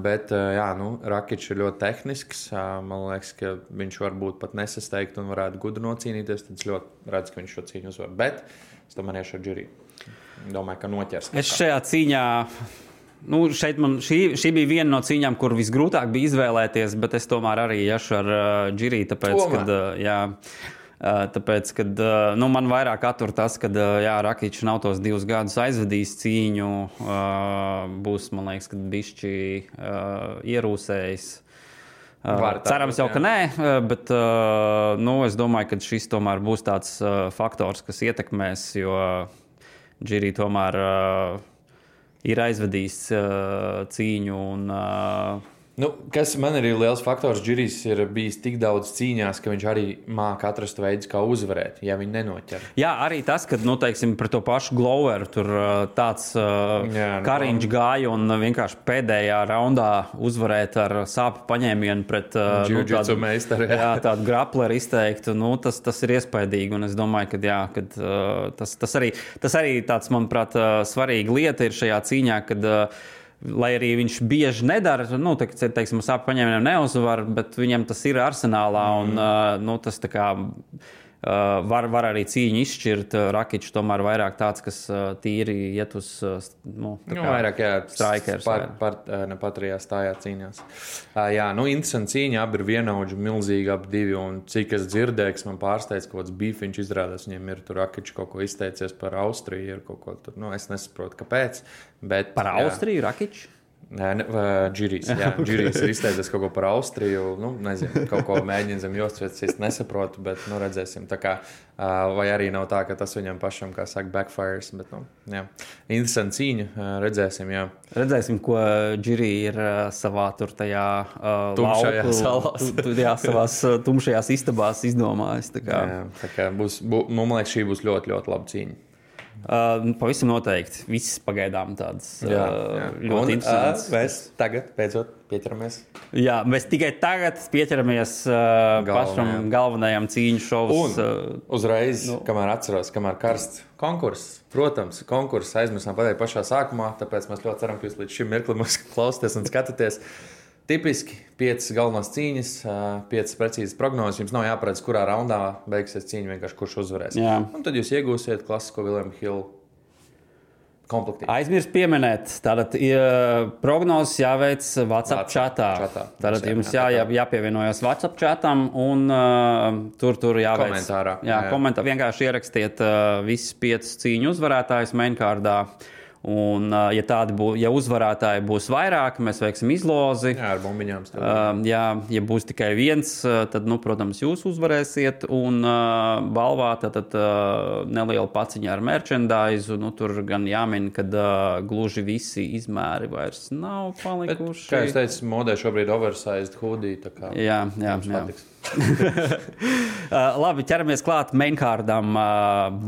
bet Rakičs ir ļoti tehnisks, man liekas, ka viņš varbūt pat nesasteigt un varētu gudri nocīnīties, tad es ļoti redzu, ka viņš šo cīņu uzvar, bet es tomēr iešu ar Jiriju. Domāju, ka noķers. Es šajā cīņā... šī bija viena no cīņām, kur visgrūtāk bija izvēlēties, bet es tomēr arī iešu ar Jiriju, tāpēc, kad man vairāk attur tas, ka Rakičs nav tos 2 gadus aizvedījis cīņu, būs, man liekas, kad bišķi ierūsējis. Cerams jau, ka nē, bet es domāju, ka šis tomēr būs tāds faktors, kas ietekmēs, jo Jirija tomēr ir aizvedījis cīņu un... Kas man ir liels faktors, Jirijs ir bijis tik daudz cīņās, ka viņš arī māca atrast veidus, kā uzvarēt, ja viņi nenoķer. Jā, arī tas, kad, teiksim, par to pašu Gloveru tur tāds Kariņš gāja un vienkārši pēdējā raundā uzvarēt ar sāpju paņēmienu pret Jiu-jitsu meistaru. Jā, tādu grapleru izteiktu, tas ir iespaidīgi, un es domāju, ka tas arī tāds, manuprāt, svarīga lieta ir šajā cīņā, kad lai arī viņš bieži nedara, teiksim, sāpju paņēmieniem neuzvar, bet viņam tas ir arsenālā, un tas tā kā var arī cīņu izšķirt. Rakičs tomēr vairāk tāds, kas tīri iet uz vairāk, strikers. Patrijā stājā cīņās. Interesanti cīņa, abi ir vienaudži, milzīgi ap divi, un cik es dzirdēju, kas man pārsteidz, kaut kāds bīfiņš izrādās, viņiem ir tur Rakičs kaut ko izteicies par Austriju, ir kaut ko tur, es nesaprotu, kāpēc. Bet, par Austriju Rakičs? Jirijs ir izteicies kaut ko par Austriju, nezinu, kaut ko mēģina zem jostas, es nesaprotu, bet, redzēsim, tā kā, vai arī nav tā, ka tas viņam pašam, kā saka, backfires, bet, interesanti cīņa, redzēsim, jā. Redzēsim, ko Jirija ir savā tur tajā tumšajā salās. Savās tumšajās istabās izdomājis, tā kā. Jā, tā kā man liekas, šī būs ļoti, ļoti laba cīņa. Pavisam noteikti. Viss pagaidām tādas ļoti interesants. Mēs tagad beidzot pieķeramies. Jā, mēs tikai tagad pieķeramies pašam galvenajam cīņu šovus. Un uzreiz, kamēr atceros, kamēr karsts konkurss. Protams, konkurss aizmirsām pateikt pašā sākumā, tāpēc mēs ļoti ceram, ka jūs līdz šim mirklim mūs klausāties un skatāties. Tipiski 5 galvenās cīņas, 5 precīzas prognozes. Jums nav jāparedz, kurā raundā beigsies cīņa, vienkārši kurš uzvarēs. Jā. Un tad jūs iegūsiet klasisko William Hill komplektīvu. Aizmirst pieminēt, tātad prognozes jāveic WhatsApp chatā. Tātad jums jāpievienojas WhatsApp chatam un tur jāveic. Komentārā. Komentā vienkārši ierakstiet visus 5 cīņu uzvarētājus mainkārdā. Un, ja uzvarētāji būs vairāk, mēs veiksim izlozi. Jā, ar bumbiņām. Ja būs tikai viens, tad, protams, jūs uzvarēsiet. Un balvā tad neliela paciņa ar merchandise. Tur gan jāmin, ka gluži visi izmēri vairs nav palikuši. Bet, kā es teicu, modē šobrīd oversized hoodie. Jā. Labi, ķeramies klāt mainkārdam.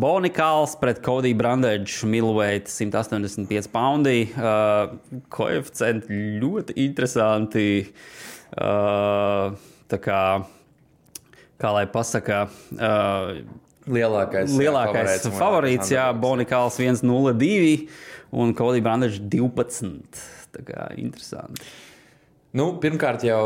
Bonikāls pret Cody Brundage, middleweight 185 poundi. Koeficienti ļoti interesanti. Tā kā lai pasaka, lielākais favorīts, Bonikāls 1.02 un Cody Brundage 12. Tā kā interesanti. Nu, pirmkārt jau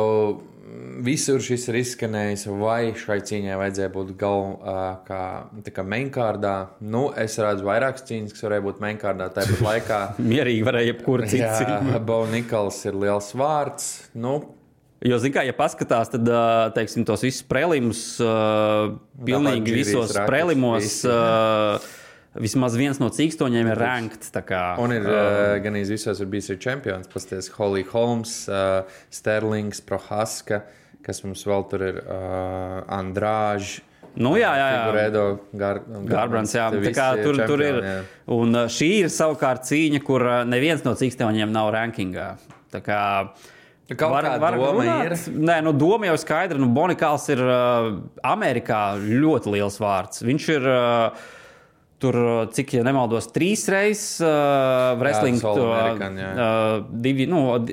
visur šis ir izskanējis, vai šai cīņai vajadzēja būt kā mainkārdā. Nu, es redzu vairākas cīņas, kas varēja būt mainkārdā tāpat laikā. Mierīgi varēja jebkura cita cīņa. Bo Nichols ir liels vārds. Nu, jo, zin kā, ja paskatās, tad, teiksim, tos visus prelimus, pilnīgi visos prelimos, vismaz viens no cīkstoņiem ir rankts. Un ir gan visos ir bijis čempions, pasties Holly Holmes, Sterlings, Prohaska, kas mums vēl tur ir Andrāž. Nu, jā. Figuredo, Garbrands, jā. Tā kā tur ir. Jā. Un šī ir savukārt cīņa, kur neviens no cīkstoņiem nav rankingā. Tā kā var doma ir? Nē, doma jau skaidra. Bonikals ir Amerikā ļoti liels vārds. Viņš ir tur, cik, ja nemaldos, 3 reizes wrestling,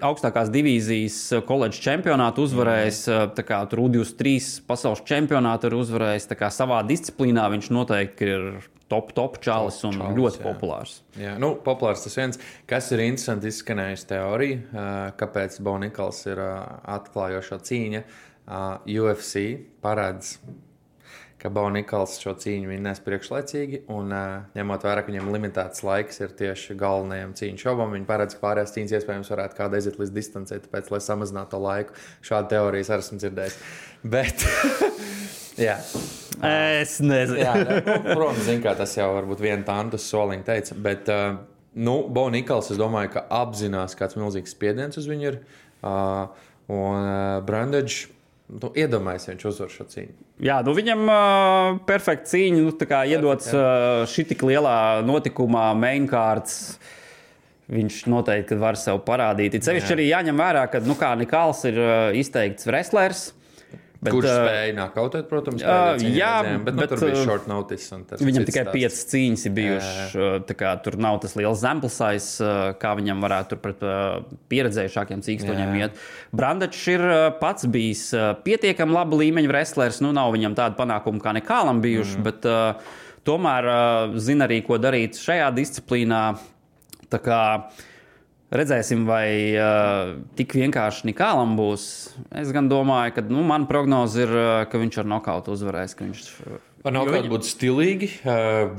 augstākās divīzijas koledžas čempionātu uzvarējis, tā kā tur U23 pasaules čempionātu ir uzvarējis, tā kā savā disciplīnā viņš noteikti ir top čalis un ļoti populārs. Jā, populārs tas viens. Kas ir interesanti izskanējusi teorija, kāpēc Bo Nichols ir atklājošo cīņa. UFC paredz, ka Bo Nichols šo cīņu vinnēs priekšlaicīgi, un ņemot vērā, ka viņam limitēts laiks ir tieši galvenajam cīņu šobam, viņi paredz, ka pārējās cīņas iespējams varētu kāda aiziet līdz distancē, tāpēc, lai samazinātu to laiku. Šādu teorijas arī esmu dzirdējis. Bet, jā. Es nezinu. Jā, protams, zin kā tas jau varbūt viena tantus soliņa teica, bet, Bo Nichols, es domāju, ka apzinās, kāds milzīgs spiediens uz viņu ir, un Brundage, iedomājies, viņš uzvar šo cīņu. Jā, viņam perfekta cīņa, tā kā iedots šitik lielā notikumā, mainkārds, viņš noteikti var sev parādīt. Cevišķi arī jāņem vērā, ka, kā Nichols ir izteikts wrestlers, bet, kurš spēja nākautēt, protams, bet tur bija short notice. Viņam tikai 5 cīņas ir bijuši, tā kā tur nav tas liels sample size, kā viņam varētu tur pret pieredzējušākiem cīkstoņiem iet. Brundage ir pats bijis pietiekami laba līmeņa wrestlers, nav viņam tāda panākuma kā Nicholam bijuši, bet tomēr zina arī, ko darīt šajā disciplīnā. Tā kā redzēsim, vai tik vienkārši Nicholam būs. Es gan domāju, ka mana prognoze ir, ka viņš ar nokautu uzvarēs. Ar nokautu būtu stilīgi.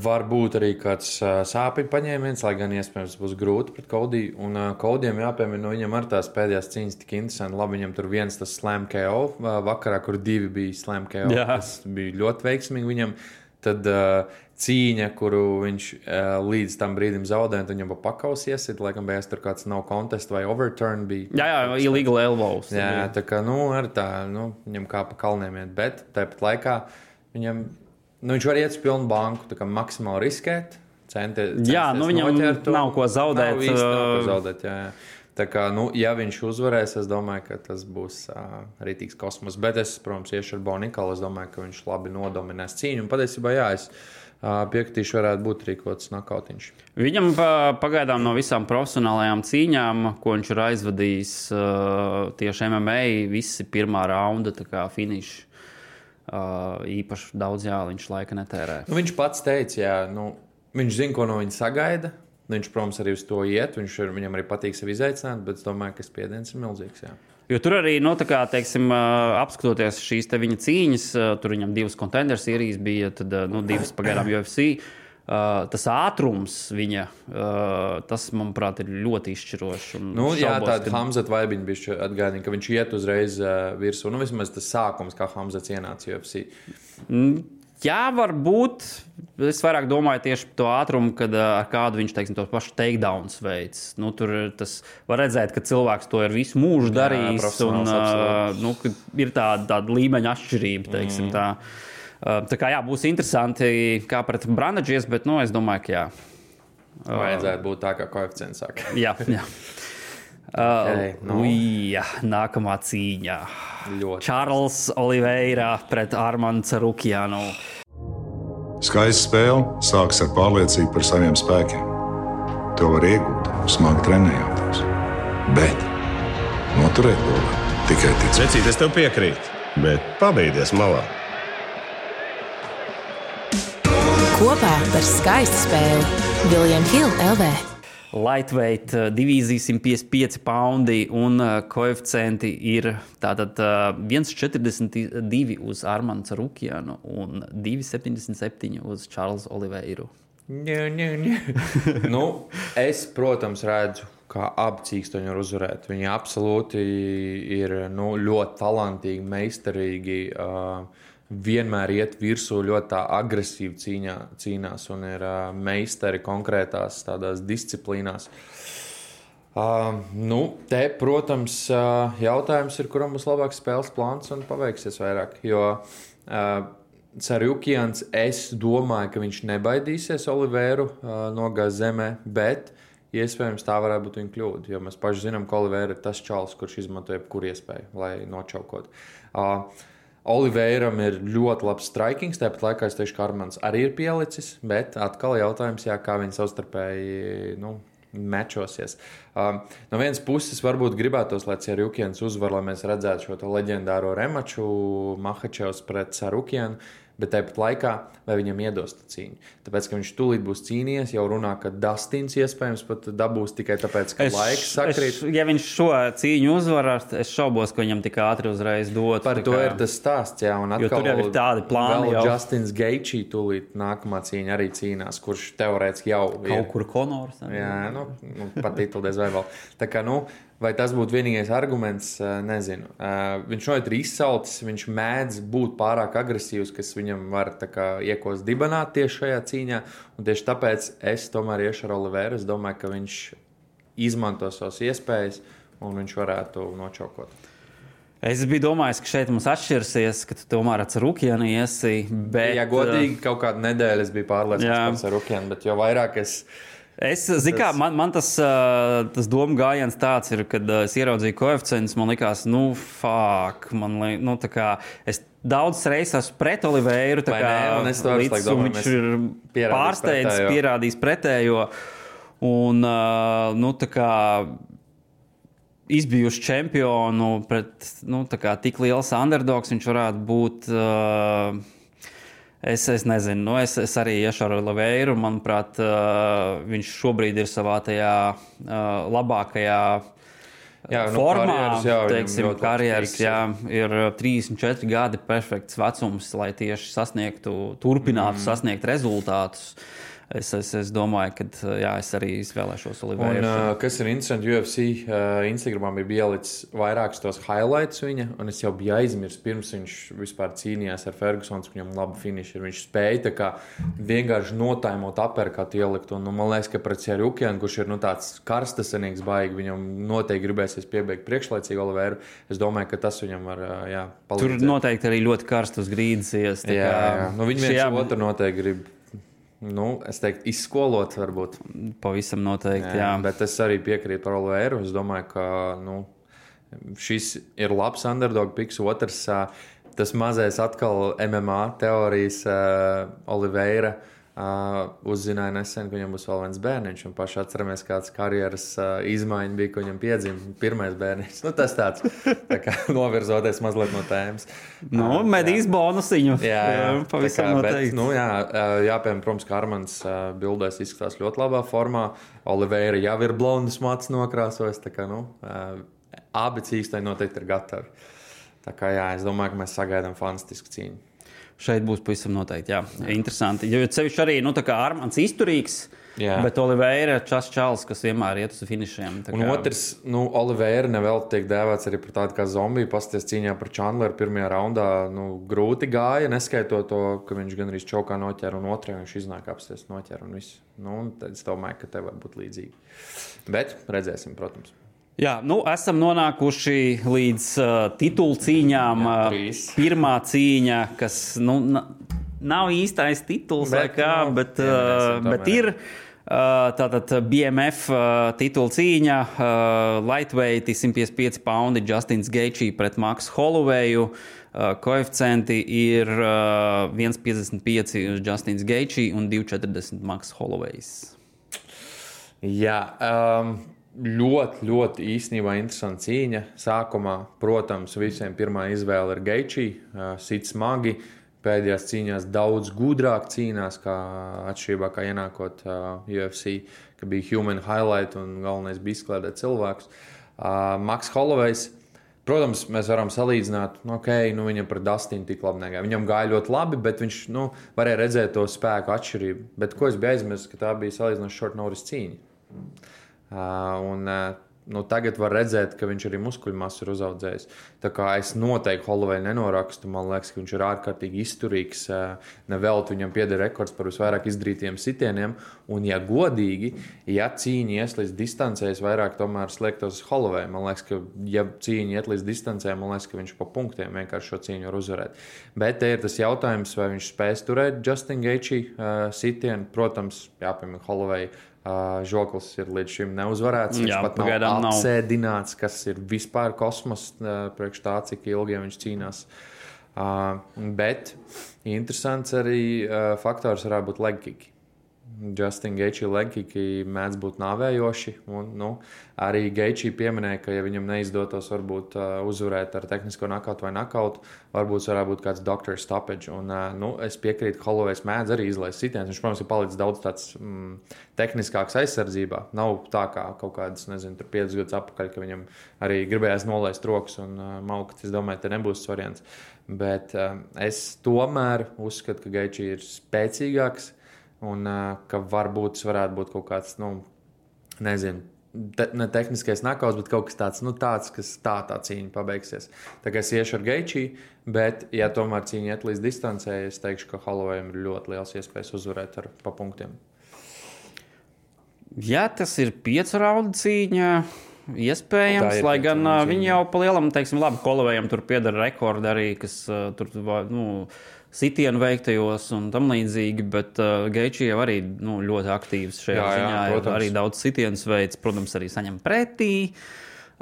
Varbūt arī kāds sāpju paņēmiens, lai gan iespējams būs grūti pret Codiju. Un Codijam jāpiemina, viņam ar tās pēdējās cīņas tik interesanti. Labi, viņam tur viens tas slam KO vakarā, kur 2 bija slam KO. Tas bija ļoti veiksmīgi viņam. Tad cīņa, kuru viņš līdz tam brīdim zaudēja, tad viņam pakaus iesit, laikam beigās tur kāds nav contest vai overturn bija. Jā, illegal elbows. Jā, tā kā, ar tā, viņam kā pa kalniem iet, bet tāpat laikā viņam, viņš var iet uz pilnu banku, tā kā maksimāli riskēt, viņam nav ko zaudēt. Nav ko zaudēt, jā. Tā kā, ja viņš uzvarēs, es domāju, ka tas būs rītīgs kosmos. Bet es, protams, iešu ar Bo Nicholu. Es domāju, ka viņš labi nodominēs cīņu. Un patiesībā, es piekritīšu, varētu būt arī kaut kāds nakautiņš. Viņam pagaidām no visām profesionālajām cīņām, ko viņš ir aizvadījis tieši MMA, visi pirmā raunda, tā kā finiši. Īpaši daudz, viņš laika netērē. Viņš pats teica, viņš zina, ko no viņa sagaida. Viņš, protams, arī uz to iet. Viņam arī patīk sevi izaicināt, bet es domāju, ka spiediens ir milzīgs. Jā. Jo tur arī, apskatoties šīs te viņa cīņas, tur viņam 2 contender sērijas bija, tad 2 pagaidām UFC. Tas ātrums viņa, tas, manuprāt, ir ļoti izšķirošs. Tāda Hamzat vaibiņa bija atgādina, ka viņš iet uzreiz virsū. Vismaz tas sākums, kā Hamzats ienāca UFC. Jā, varbūt. Es vairāk domāju tieši par to ātrumu, kad ar kādu viņš, tos pašus takedowns veids. Tur tas var redzēt, ka cilvēks to ir visu mūžu darījis. Ir tāda līmeņa atšķirība, teiksim tā. Tā kā būs interesanti, kā pret Brundages, bet es domāju, ka jā. Vajadzētu būt tā, kā koeficients saka. Jā. Nākamā cīņa. Čārls Oliveira pret Armandu Tsarukjanu. Skaista spēle sākas ar pārliecību par saviem spēkiem. To var iegūt, smagi trenējoties. Bet noturēt to var tikai ticēt. Vecīt, es tev piekrītu, bet pabeigties malā. Kopā par skaistu spēli William Hill LV. lightweight divīzija 155 poundi un koeficienti ir tātad 1,42 uz Armanu Tsarukjanu un 2,77 uz Čārlzu Oliveiru. Nu, es, protams, redzu, kā abi cīkstoņi var uzvarēt. Viņi absolūti ir ļoti talantīgi, meistarīgi, vienmēr iet virsū ļoti tā agresīvi cīnās un ir meistari konkrētās tādās disciplīnās. Te, protams, jautājums ir, kuram būs labāks spēles plāns un paveiksies vairāk, jo Tsarukjans, es domāju, ka viņš nebaidīsies Oliveiru nogāzt zemē, bet iespējams tā varētu būt viņa kļūda, jo mēs paši zinām, ka Oliveira ir tas čalis, kurš izmanto jebkuru iespēju, lai nočaukot. Oliveiram ir ļoti labs strikings, tāpat laikā es teikšu, ka Armans arī ir pielicis, bet atkal jautājums, kā viņi savstarpēji mečosies. No vienas puses varbūt gribētos, lai Tsarukjans uzvar, lai mēs redzētu šo leģendāro remaču Makhačevs pret Tsarukjanu, bet tāpat laikā, vai viņam iedos cīņu. Tāpēc, ka viņš tūlīt būs cīnījies, jau runā, ka Dustins iespējams pat dabūs tikai tāpēc, ka laiks sakrīt. Ja viņš šo cīņu uzvarās, es šaubos, ka viņam tik ātri uzreiz dot. Par to ir tas stāsts, jā. Un atkal, jo tur jau ir tādi plāni vēl jau. Justins Gaethje tūlīt nākamā cīņa arī cīnās, kurš teorētiski jau ir. Kaut kur Conors. Jā, pat tituldies vai vēl. Tā kā, vai tas būtu vienīgais arguments, nezinu. Viņš šeit ir izsaltis, viņš mēdz būt pārāk agresīvs, kas viņam var iekost dibanāt tieši šajā cīņā, un tieši tāpēc es tomēr iešu ar Oliveiru. Es domāju, ka viņš izmanto savas iespējas, un viņš varētu nočaukot. Es biju domājis, ka šeit mums atšķirsies, ka tu tomēr ar Tsarukjanu iesi, bet... Ja godīgi, kaut kādu nedēļu es biju pārliecināts par Tsarukjanu, bet jo vairāk zinu, kā, man tas doma gājiens tāds ir, kad es ieraudzīju koeficientus, man likās, es daudz reizes esmu pret Oliveiru, viņš ir pārsteidzis, pierādījis pretējo, un, izbijuši čempionu pret, tik liels underdogs, viņš varētu būt... Es nezinu, es arī iešu ar Oliveiru. Manuprāt, viņš šobrīd ir savā tajā labākajā formā. Karjeras, ir 34 gadi perfekts vecums, lai tieši turpinātu sasniegt rezultātus. Es domāju, ka es arī izvēlēšos Oliveiru. Un kas ir interesanti, UFC Instagramā bija ielicis vairākus tos highlights viņa, un es jau biju aizmirsis, pirms viņš vispār cīnījās ar Fergusons, viņam labi finiši ir. Viņš spēja vienkārši notaimot aperkatu ielikt, un man liekas, ka pret Tsarukjanu, kurš ir tāds karstasenīgs baigi, viņam noteikti gribēsies piebeigt priekšlaicīgi Oliveiru. Es domāju, ka tas viņam var palīdzēt. Tur noteikti arī ļoti karst uz grīdas ies. Viņi viens otru noteikti grib. Es teiktu, izskolot varbūt. Pavisam noteikti, jā. Bet es arī piekrītu par Oliveiru. Es domāju, ka šis ir labs underdog piks. Otrs, tas mazais atkal MMA teorijas Oliveira uzzināja nesen, ka viņam būs vēl viens bērniņš. Un paši atceramies, kāds karjeras izmaiņa bija, ka viņam piedzima pirmais bērniņš. Tas tāds, novirzoties mazliet no tēmas. Medīs bonusiņu. Jā, pavisam noteikti. Jāpiemēram, protams, ka Armans bildēs izskatās ļoti labā formā. Oliveira jau ir blondus mats nokrāsojis. Abi cīkstoņi noteikti ir gatavi. Es domāju, ka mēs sagaidām fantastisku cīņu. Šeit būs pavisam noteikti, jā. Interesanti. Jo sevišķi arī, Armans izturīgs, bet Oliveira čals, kas vienmēr iet uz finišiem. Un otrs, Oliveira nevēl tiek dēvēts arī par tādu kā zombiju. Pasties cīņā par Chandleru pirmajā raundā, grūti gāja, neskaitot to, ka viņš gan arī čaukā noķēra, un otrajā viņš iznāk apsties noķēra un viss. Tad es domāju, ka te var būt līdzīgi. Bet redzēsim, protams. Jā, esam nonākuši līdz titulu cīņām. Pirmā cīņa, kas nav īstais tituls, bet ir tātad BMF titulu cīņa. Lightweight 155 poundi Justins Gaethje pret Maksu Holloweju. Koeficienti ir 1,55 uz Justins Gaethje un 2,40 Maksu Hollowejs. Jā, ļoti, ļoti īstenībā interesanta cīņa. Sākumā, protams, visiem pirmā izvēle ir Gaethje, sit smagi. pēdējās cīņās daudz gudrāk cīnās, kā atšķirībā kā ienākot UFC, ka bija human highlight un galvenais bija izkliedēt cilvēkus. Maks Hollowejs, protams, mēs varam salīdzināt, viņam par Dustinu tik labi negāja. Viņam gāja ļoti labi, bet viņš varēja redzēt to spēku atšķirību. Bet ko es biju aizmirsis, ka tā bija salīdzinoši short notice cīņa. Tagad var redzēt, ka viņš arī muskuļu masu ir uzaudzējis. Tā kā es noteikti Holloweju nenorakstu, man liekas, ka viņš ir ārkārtīgi izturīgs. Nevelti viņam pieder rekords par visvairāk izdarītiem sitieniem. Un, ja godīgi, ja cīņa ies līdz distancē, es vairāk tomēr sliektos uz Holloweju. Man liekas, ka ja cīņa iet līdz distancē, man liekas, ka viņš pa punktiem vienkārši šo cīņu var uzvarēt. Bet te ir tas jautājums, vai viņš spēs turēt Justin Gaethje sitienu. Protams, jāpiemēr Holloweju. Žoklis ir līdz šim neuzvarēts. Viņš pat nav apsēdināts, kas ir vispār kosmos priekš tā, cik ilgi viņš cīnās. Bet interesants arī faktors varētu būt leg kicki. Justin Gaethje leg kicki mēdz būt nāvējoši. Un, arī Gaethje pieminēja, ka ja viņam neizdotos varbūt uzvarēt ar tehnisko nakautu vai nakautu, varbūt varētu būt kāds doctor stoppage. Un, es piekrītu, ka Hollowejs mēdz arī izlaist sitienus. Viņš, protams, ir palicis daudz tāds tehniskāks aizsardzībā. Nav tā kā kaut kādas, 5 gadus atpakaļ, ka viņam arī gribējās nolaist rokas un maukt. Es domāju, te nebūs variants. Bet es tomēr uzskatu, ka Gaethje ir spēcīgāks. Un ka varbūt tas varētu būt kaut kāds, ne tehniskais nakauts, bet kaut kas tāds, kas tā cīņa pabeigsies. Tā kā es iešu ar Gaethje, bet, ja tomēr cīņa iet līdz distancē, es teikšu, ka Hollowejam ir ļoti liels iespējas uzvarēt pa punktiem. Jā, tas ir 5 raundu cīņa. Iespējams, lai gan viņi jau pa lielam, labi, Hollowejam tur pieder rekordi arī, kas tur, sitienu veiktajos un tam līdzīgi, bet Gaethje jau arī ļoti aktīvs šajā ziņā. Arī daudz sitienus veids, protams, arī saņem pretī.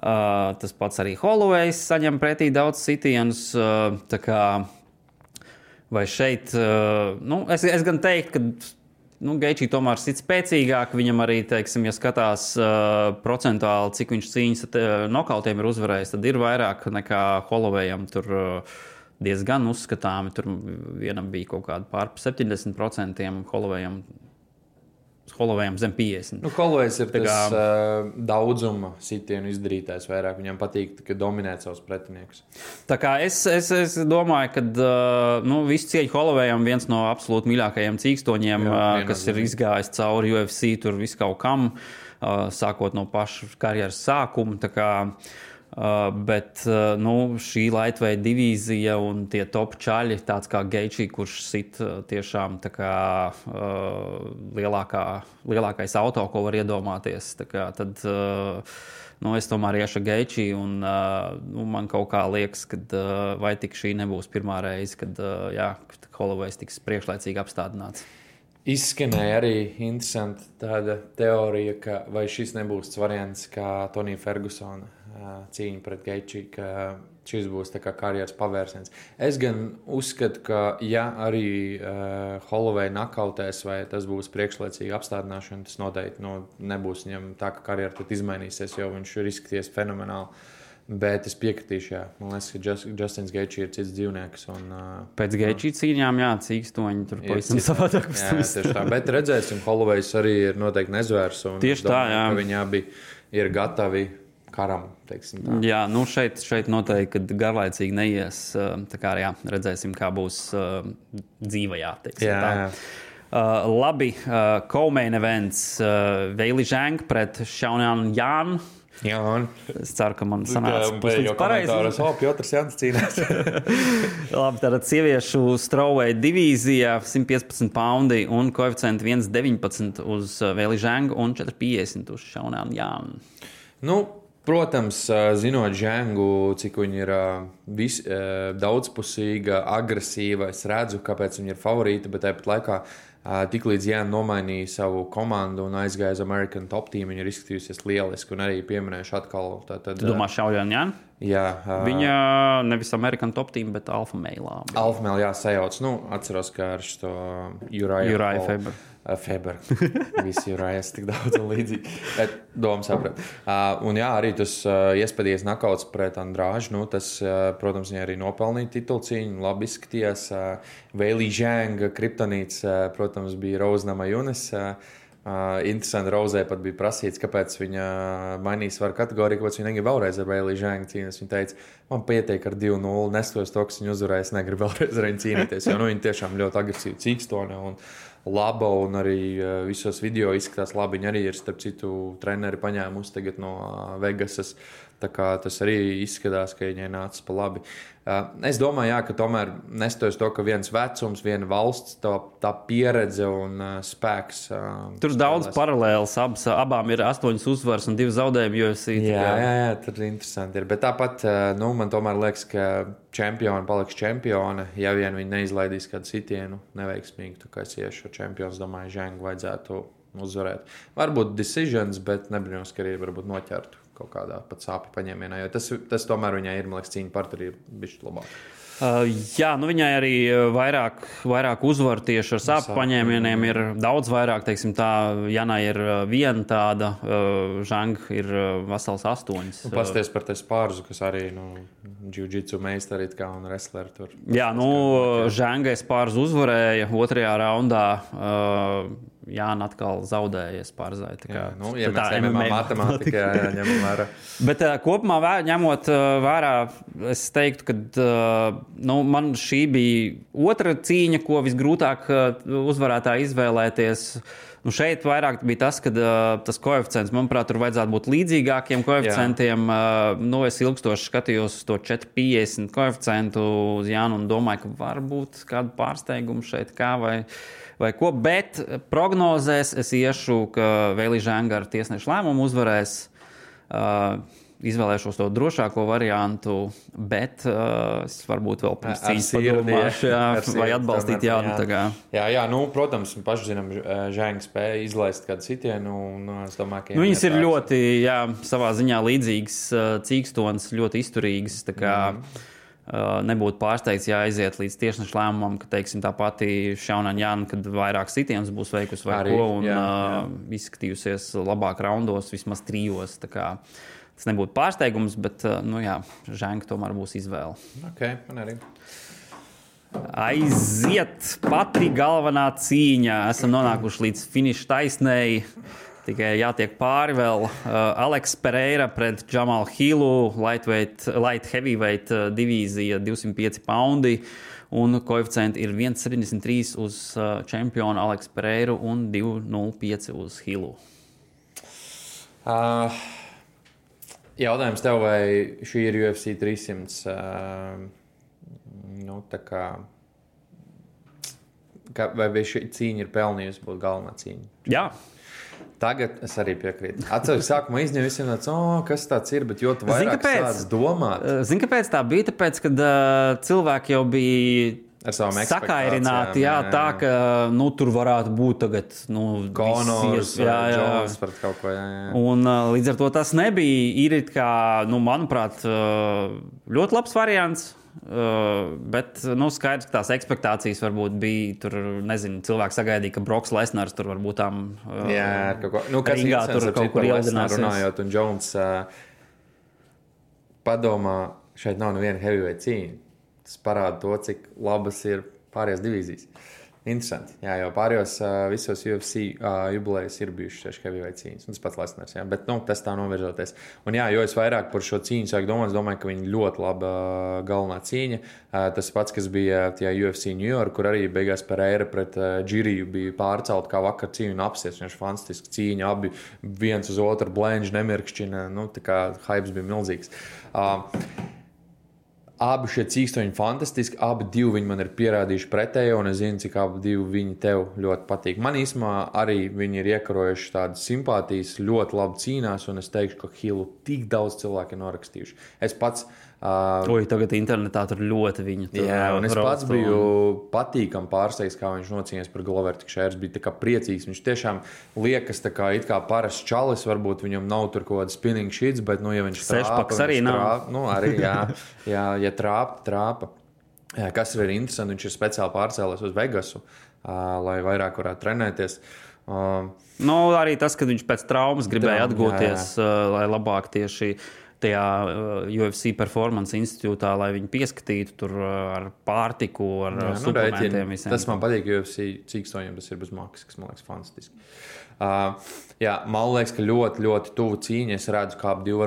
Tas pats arī Hollowejs saņem pretī daudz sitienus. Tā kā, vai šeit, es gan teiktu, ka Gaethje tomēr sit spēcīgāk. Viņam arī, ja skatās procentuāli, cik viņš cīņas nokautiem ir uzvarējis, tad ir vairāk nekā Hollowejam tur diezgan uzskatāmi. Tur vienam bija kaut kāda pār 70%, Hollowejam zem 50%. Hollowejs ir tas daudzuma sitienu izdarītājs vairāk. Viņam patīk dominēt savus pretiniekus. Tā kā es domāju, ka visu cieņu Hollowejam viens no absolūti mīļākajiem cīkstoņiem, kas ir izgājis cauri UFC, tur visu kaut kam, sākot no paša karjeras sākuma. Tā kā bet šī lightweight divīzija un tie top čaļi, tāds kā Gaethje, kurš sit tiešām tā kā lielākais auto, ko var iedomāties. Tā kā, tad es tomēr iešu Gaethje un man kaut kā liekas, ka vai tik šī nebūs pirmā reize, kad Hollowejs tiks priekšlaicīgi apstādināts. Izskanēja arī interesanti tāda teorija, ka vai šis nebūs variants kā Tonija Fergusona cīņa pret Gaethje, ka šis būs tā kā karjeras pavērsiens. Es gan uzskatu, ka ja arī Holloway nakautēs vai tas būs priekšlaicīga apstādināšana, tas noteikti nebūs viņam tā, ka karjera tad izmainīsies, jo viņš ir izskaties fenomenāli. Bet es piekritīšu, jā. Man liekas, ka Justins Gaethje ir cits dzīvnieks. Pēc Gaethje cīņām, cīkstoņi tur pavisam savādāk. Jā, tieši tā. Bet redzēsim, Hollowejs arī ir noteikti nezvērs. Tieši tā, jā. Viņi abi ir gatavi karam, teiksim tā. Jā, šeit noteikti, kad garlaicīgi neies. Tā kā jā, redzēsim, kā būs dzīvajā, teiksim tā. Jā. Labi, co-main events. Weili Zhang pret Xiaonan Yan. Jā, es ceru, ka man sanāca puslīdz pareizi. Piotrs Jans cīnās. Labi, tātad sieviešu strawweight divīzija 115 poundi un koeficienti 1,19 uz Weili Zhang un 4,50 uz Xiaonan Yan. Protams, zinot Zhangu, cik viņa ir daudzpusīga, agresīva, es redzu, kāpēc viņa ir favorīta, bet tāpat laikā tiklīdz Jāna nomainīja savu komandu un aizgāja uz American Top Team, viņa ir izskatījusies lieliski un arī pieminējuši atkal. Tu domā Xiaonan Yan? Jā. Viņa nevis American Top Team, bet Alpha Male. Alpha Male, jā, sajauc. Atceros, kā ar šo Uriah Faber. Feber. Visi ir rājās tik daudz un līdzīgi. Bet doma saprat. Un jā, arī tas iespēdījies nakauts pret Andrāžu. Nu, tas, protams, viņa arī nopelnīja titulcīņu. Labi izskatījās. Weili Zhang, kriptonīts, protams, bija Rose Namajunas. Interesanti, Rozē pat bija prasīts, kāpēc viņa mainīja svaru kategoriju, kāpēc viņa negrib vēlreiz ar Weili Zhang cīnīties. Viņa teica, man pietiek ar 2-0, nestoties to, kas viņa uzvarēs, negribu vēlreiz ar viņu cīnīties. Jo viņa tiešām ļoti agresīvi cīkstone un laba, un arī visos video izskatās labi. Viņa arī ir, starp citu, treneri paņēmusi tagad no Vegasas. Tā kā tas arī izskatās, ka viņai nācis pa labi. Es domāju, jā, ka tomēr nestoties to, ka viens vecums, viena valsts, tā pieredze un spēks. Tur daudz paralēlas, abām ir 8 uzvaras un 2 zaudējumi UFC. Jā, tur interesanti ir. Bet tāpat, man tomēr liekas, ka čempioni paliks čempioni, ja vien viņi neizlaidīs kādu sitienu neveiksmīgi. Tā kā es iešu ar čempionu, domāju, Zhangu vajadzētu uzvarēt. Varbūt decisions, bet nebrīnos, ka arī varbūt noķertu kaut kādā pat sāpju paņēmienā, jo tas tomēr viņai ir, man liekas, cīņa par tur ir bišķi labāk. Jā, viņai arī vairāk uzvaru tieši ar sāpju paņēmieniem ir daudz vairāk, teiksim tā, Janai ir viena tāda, Zhang ir vesels 8. Pasties par te Spārzu, kas arī, jiu-jitsu meistari kā un wrestleri tur. Jā, Zhangai Spārzu uzvarēja 2. raundā, Jāna atkal zaudēja Spārzai. Ja mēs MMA matemātikā ņemam vērā. Bet kopumā ņemot vērā, es teiktu, ka man šī bija otra cīņa, ko visgrūtāk uzvarētāji izvēlēties. Šeit vairāk bija tas, ka tas koeficients, manuprāt, tur vajadzētu būt līdzīgākiem koeficientiem. Es ilgstoši skatījos uz to 4,50 koeficientu uz Jānu un domāju, ka varbūt kādu pārsteigumu šeit vai ko, bet prognozēs es iešu, ka Weili Zhang ar tiesnešu lēmumu uzvarēs. Izvēlēšos to drošāko variantu, bet es varbūt vēl pirms cīņas padomāšu, vai atbalstīt Jānu. Jā, protams, paši zinām, Zhang spēja izlaist kādu sitienu, un es domāju, ka viņas ir ļoti, savā ziņā līdzīgas cīkstonas, ļoti izturīgas, tā kā nebūtu pārsteigts, ja aiziet līdz tiesnešu lēmumam, ka, teiksim, tā pati Šaunan Jāna, kad vairāk sitienus būs veikusi vai arī, ko, un izskatījusies labāk raundos, vismaz 3. Tā kā tas nebūtu pārsteigums, bet, Zhang tomēr būs izvēle. Man arī. Aiziet pati galvenā cīņa. Esam nonākuši līdz finiša taisnēji. Tikai jātiek pāri vēl Alex Pereira pret Jamal Hillu, light heavyweight divīzija 205 poundi, un koeficienti ir 1,73 uz čempionu Alex Pereiru un 2,05 uz Hillu. Jautājums tev, vai šī ir UFC 300, vai šī cīņa ir pelnījusi būt galvenā cīņa? Jā. Tagad es arī piekrītu. Atceros, sākumā izņēmu visiem kas tāds ir, bet jo tu vairāk sāc domāt. Zini, kāpēc tā bija? Tāpēc, kad cilvēki jau bija sakairināti, tā, ka tur varētu būt tagad Conors, Jones pret kaut ko. Un līdz ar to tas nebija. Ir kā, manuprāt, ļoti labs variants. Bet skaidrs, ka tās ekspektācijas varbūt bija tur, nezinu, cilvēki sagaidīja, ka Broks Lesnars tur varbūt tām ringā tur kaut kur ieldināsies. Runājot, un Jones padomā, šeit nav neviena heavyweight cīņa. Tas parāda to, cik labas ir pārējās divīzijas. Interesanti. Jā, jau pārējos visos UFC jubilejas ir bijušas tieši heavyweight cīņas. Un tas pats Lesners, bet tas tā novirzoties. Un jo es vairāk par šo cīņu sāku domāt, es domāju, ka viņa ļoti laba galvenā cīņa. Tas pats, kas bija tajā UFC New York, kur arī beigās Pereira pret Džiriju bija pārcelt kā vakar cīņu un apsies. Viņš fantastiski cīņa, abi viens uz otru blenži nemirkšķina. Tā kā hypes bija milzīgs. Abi šie cīkstoņi fantastiski, abi divi viņi man ir pierādījuši pretējo, un es zinu, cik abi divi viņi tev ļoti patīk. Man īsumā arī viņi ir iekarojuši tādas simpātijas, ļoti labi cīnās, un es teikšu, ka Hillu tik daudz cilvēki ir norakstījuši. Es pats... tagad internetā tur ļoti viņu tur. Jā, un es pats biju patīkam pārsteigts, kā viņš nocīnījās par Glover Tikšērs, bija tā kā priecīgs. Viņš tiešām liekas tā kā it kā parasts čalis, varbūt viņam nav tur kaut kāda spinning sheets, bet, ja viņš trāpa, arī nav. Arī, ja trāpa. Kas ir interesanti, viņš ir speciāli pārcēlies uz Vegasu. lai vairāk varētu trenēties. Arī tas, ka viņš pēc traumas gribēja atgūties, lai labāk tieši tajā UFC Performance institūtā, lai viņu pieskatītu tur ar pārtiku, ar suplementiem visiem. Tas man patīk, UFC cīkstoņiem tas ir bez maksas, kas man liekas fantastiski. Man liekas, ka ļoti, ļoti tuvu cīņa. Es redzu, ka ap divi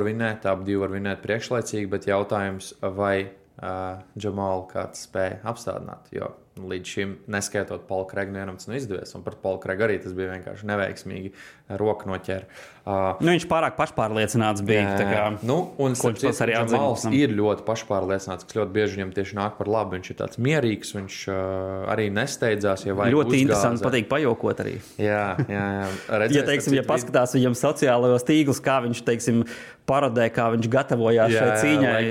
var vinēt priekšlaicīgi, bet jautājums, vai Džamalu kāds spēja apstādināt, jo līdz šim neskaitot Paulu Kregu vienam tas izdevies, un par Paulu Kregu arī tas bija vienkārši neveiksmīgi roku noķēra. Viņš pārāk pašpārliecināts bija. Un Džamals ir ļoti pašpārliecināts, kas ļoti bieži viņam tieši nāk par labu. Viņš ir tāds mierīgs, viņš arī nesteidzās, ja vajag ļoti interesanti, patīk pajokot arī. Jā. Redzēs, ja paskatās viņam sociālajos tīklus, kā viņš, parodē, kā viņš gatavojās šai cīņai.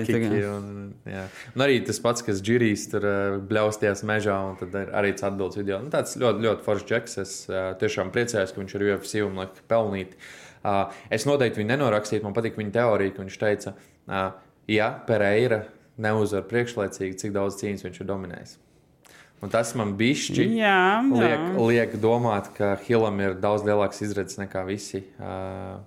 Un arī tas pats, kas Džirijs tur bļaustījās mežā, un tad arī tas atbildes video. Tāds ļoti, ļoti foršs džeks. Es tiešām priecājos, ka viņš ir UFC un liek pelnīt. Es noteikti viņu nenorakstītu. Man patīk viņa teorija, ka viņš teica, ja Pereira neuzvar priekšlaicīgi, cik daudz cīņas viņš ir dominējis. Un tas man bišķi liek domāt, ka Hillam ir daudz lielāks izredzes nekā visi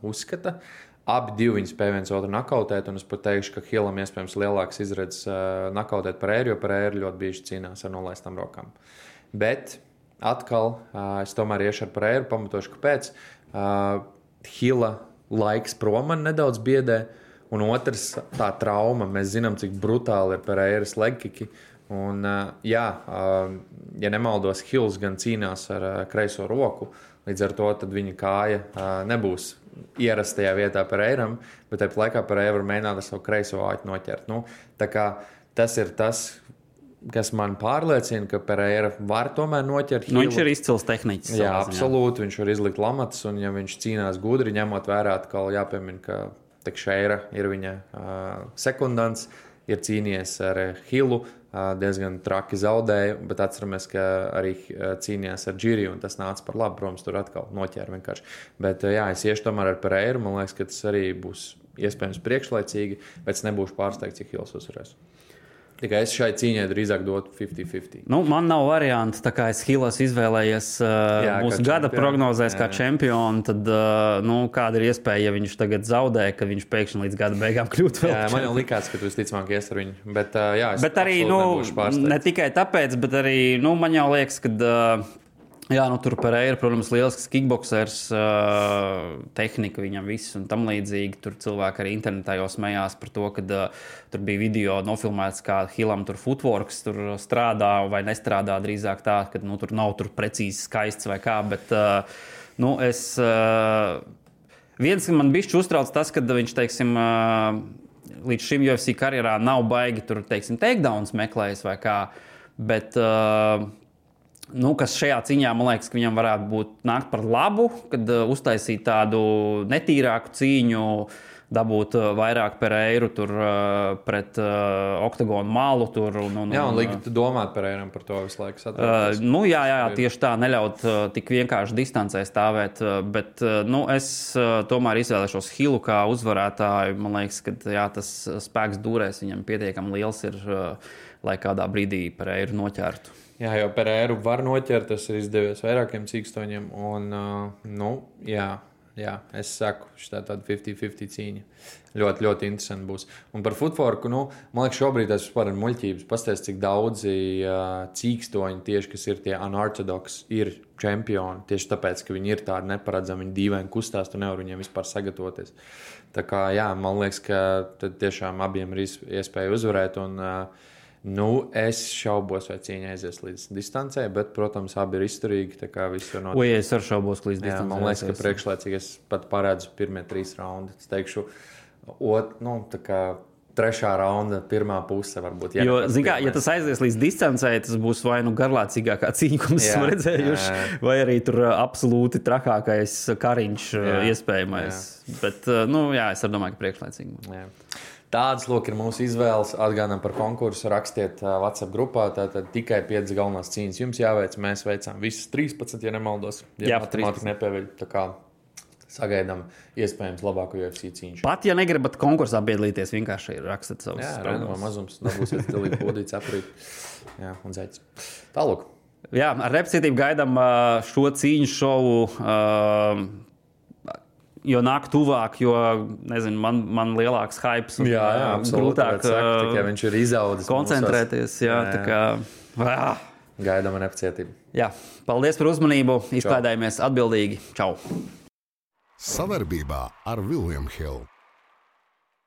uzskata. Abi divi viņi spēja viens otru nakautēt, un es pat teikšu, ka Hillam iespējams lielāks izredzes nakautēt Pereiru, jo Pereira ļoti bieži cīnās ar nolaistām rokām. Bet atkal es tomēr iešu ar Pereiru, pamatošu, kāpēc. Hilla laiks prom man nedaudz biedē, un otrs tā trauma. Mēs zinām, cik brutāli ir Pereiras legkiki. Un, ja nemaldos, Hills gan cīnās ar kreiso roku, līdz ar to tad viņa kāja nebūs ierastajā vietā Pereiram, bet tāpat laikā Pereira var mēģināt ar savu kreiso āķi noķert. Tā kā tas ir tas, kas man pārliecina, ka Pereira var tomēr noķert Hillu. Viņš ir izcils tehniķis. Jā, absolūti. Viņš var izlikt lamatas, un ja viņš cīnās gudri, ņemot vērā, atkal jāpiemina, ka Tekšeira ir viņa sekundants, ir cīnījies ar Hillu, diezgan traki zaudēja, bet atceramies, ka arī cīnījās ar Džiriju, un tas nāca par labu, protams, tur atkal noķēra vienkārši. Bet es iešu tomēr ar Pereiru, man liekas, ka tas arī būs iespējams priekšlaicīgi, bet es nebūšu pārsteigts, cik Hills uzvarēs. Tikai es šai cīņai drīzāk dotu 50-50. Man nav variantu, tā kā es Hillas izvēlējies mūsu gada prognozēs kā čempionu, tad kāda ir iespēja, ja viņš tagad zaudē, ka viņš pēkšņi līdz gada beigām kļūt vēl. Jā, man jau likās, ka tu visticamāk ies ar viņu. Bet arī, ne tikai tāpēc, bet arī, man jau liekas, ka tur Pereira, protams, lielisks kickboksers, tehnika viņam viss un tam līdzīgi. Tur cilvēki arī internetā jau smējās par to, ka tur bija video nofilmēts, kā Hillam tur footworks tur strādā vai nestrādā drīzāk tā, ka tur nav tur precīzi skaists vai kā, bet viens man bišķi uztrauc tas, ka viņš, līdz šim UFC karjerā nav baigi tur, takedowns meklējis vai kā, bet kas šajā cīņā, man liekas, ka viņam varētu būt nākt par labu, kad uztaisīt tādu netīrāku cīņu, dabūt vairāk Pereiru tur pret oktagonu malu tur. Un likt domāt Pereiram par to visu laiku. Tieši tā, neļaut tik vienkārši distancē stāvēt, bet es tomēr izvēlēšos Hillu kā uzvarētāju. Man liekas, ka tas spēks dūrēs viņam pietiekami liels ir, lai kādā brīdī Pereiru noķertu. Jā, jo Pereiru var noķert, tas ir izdevies vairākiem cīkstoņiem, un, es saku, šitā tāda 50-50 cīņa. Ļoti, ļoti interesanti būs. Un par footworku, man liekas, šobrīd tas vispār ir muļķības. Pastāst, cik daudzi cīkstoņi tieši, kas ir tie unorthodox, ir čempioni. Tieši tāpēc, ka viņi ir tādi neparedzami, viņi dīvaini kustās, tu nevar viņiem vispār sagatavoties. Tā kā, man liekas, ka tad tiešām abiem ir iespēja uzvarēt, un es šaubos, vai cīņa aizies līdz distancē, bet, protams, abi ir izturīgi, tā kā viss var notikt. Es ar šaubos līdz distancē. Man liekas, ka priekšlaicīgi es pat paredzu pirmie 3 raundi. Es teikšu, trešā raunda, pirmā puse varbūt. Jo, ja tas aizies līdz distancē, tas būs vai garlācīgākā cīņa, ko mēs esam redzējuši, vai arī tur absolūti trakākais kariņš iespējamais. Bet, es domāju, ka priekšlaicīgi. Jā. Tādas, ir mūsu izvēles. Atgādinām par konkursu, rakstiet WhatsApp grupā. Tātad tikai 5 galvenās cīņas jums jāveic. Mēs veicām visas 13, ja nemaldos. Ja matemātika nepieveļ, tā kā sagaidām iespējams labāko UFC cīņu. Pat, ja negribat konkursā piedalīties, vienkārši rakstat savus prognozes. Jā, mazums, dabūsiet stilīgi podīts, aprīt. Jā, un zeķis. Tālūk. Jā, ar nepacietību gaidām šo cīņu šovu, jo nāk tuvāk, jo, nezinu, man lielāks hypes un grūtāk viņš ir izaudzis. Koncentrēties, tā kā... Gaidām ar nepacietību. Jā, paldies par uzmanību, izklaidājamies atbildīgi. Čau! Savarbībā ar William Hill.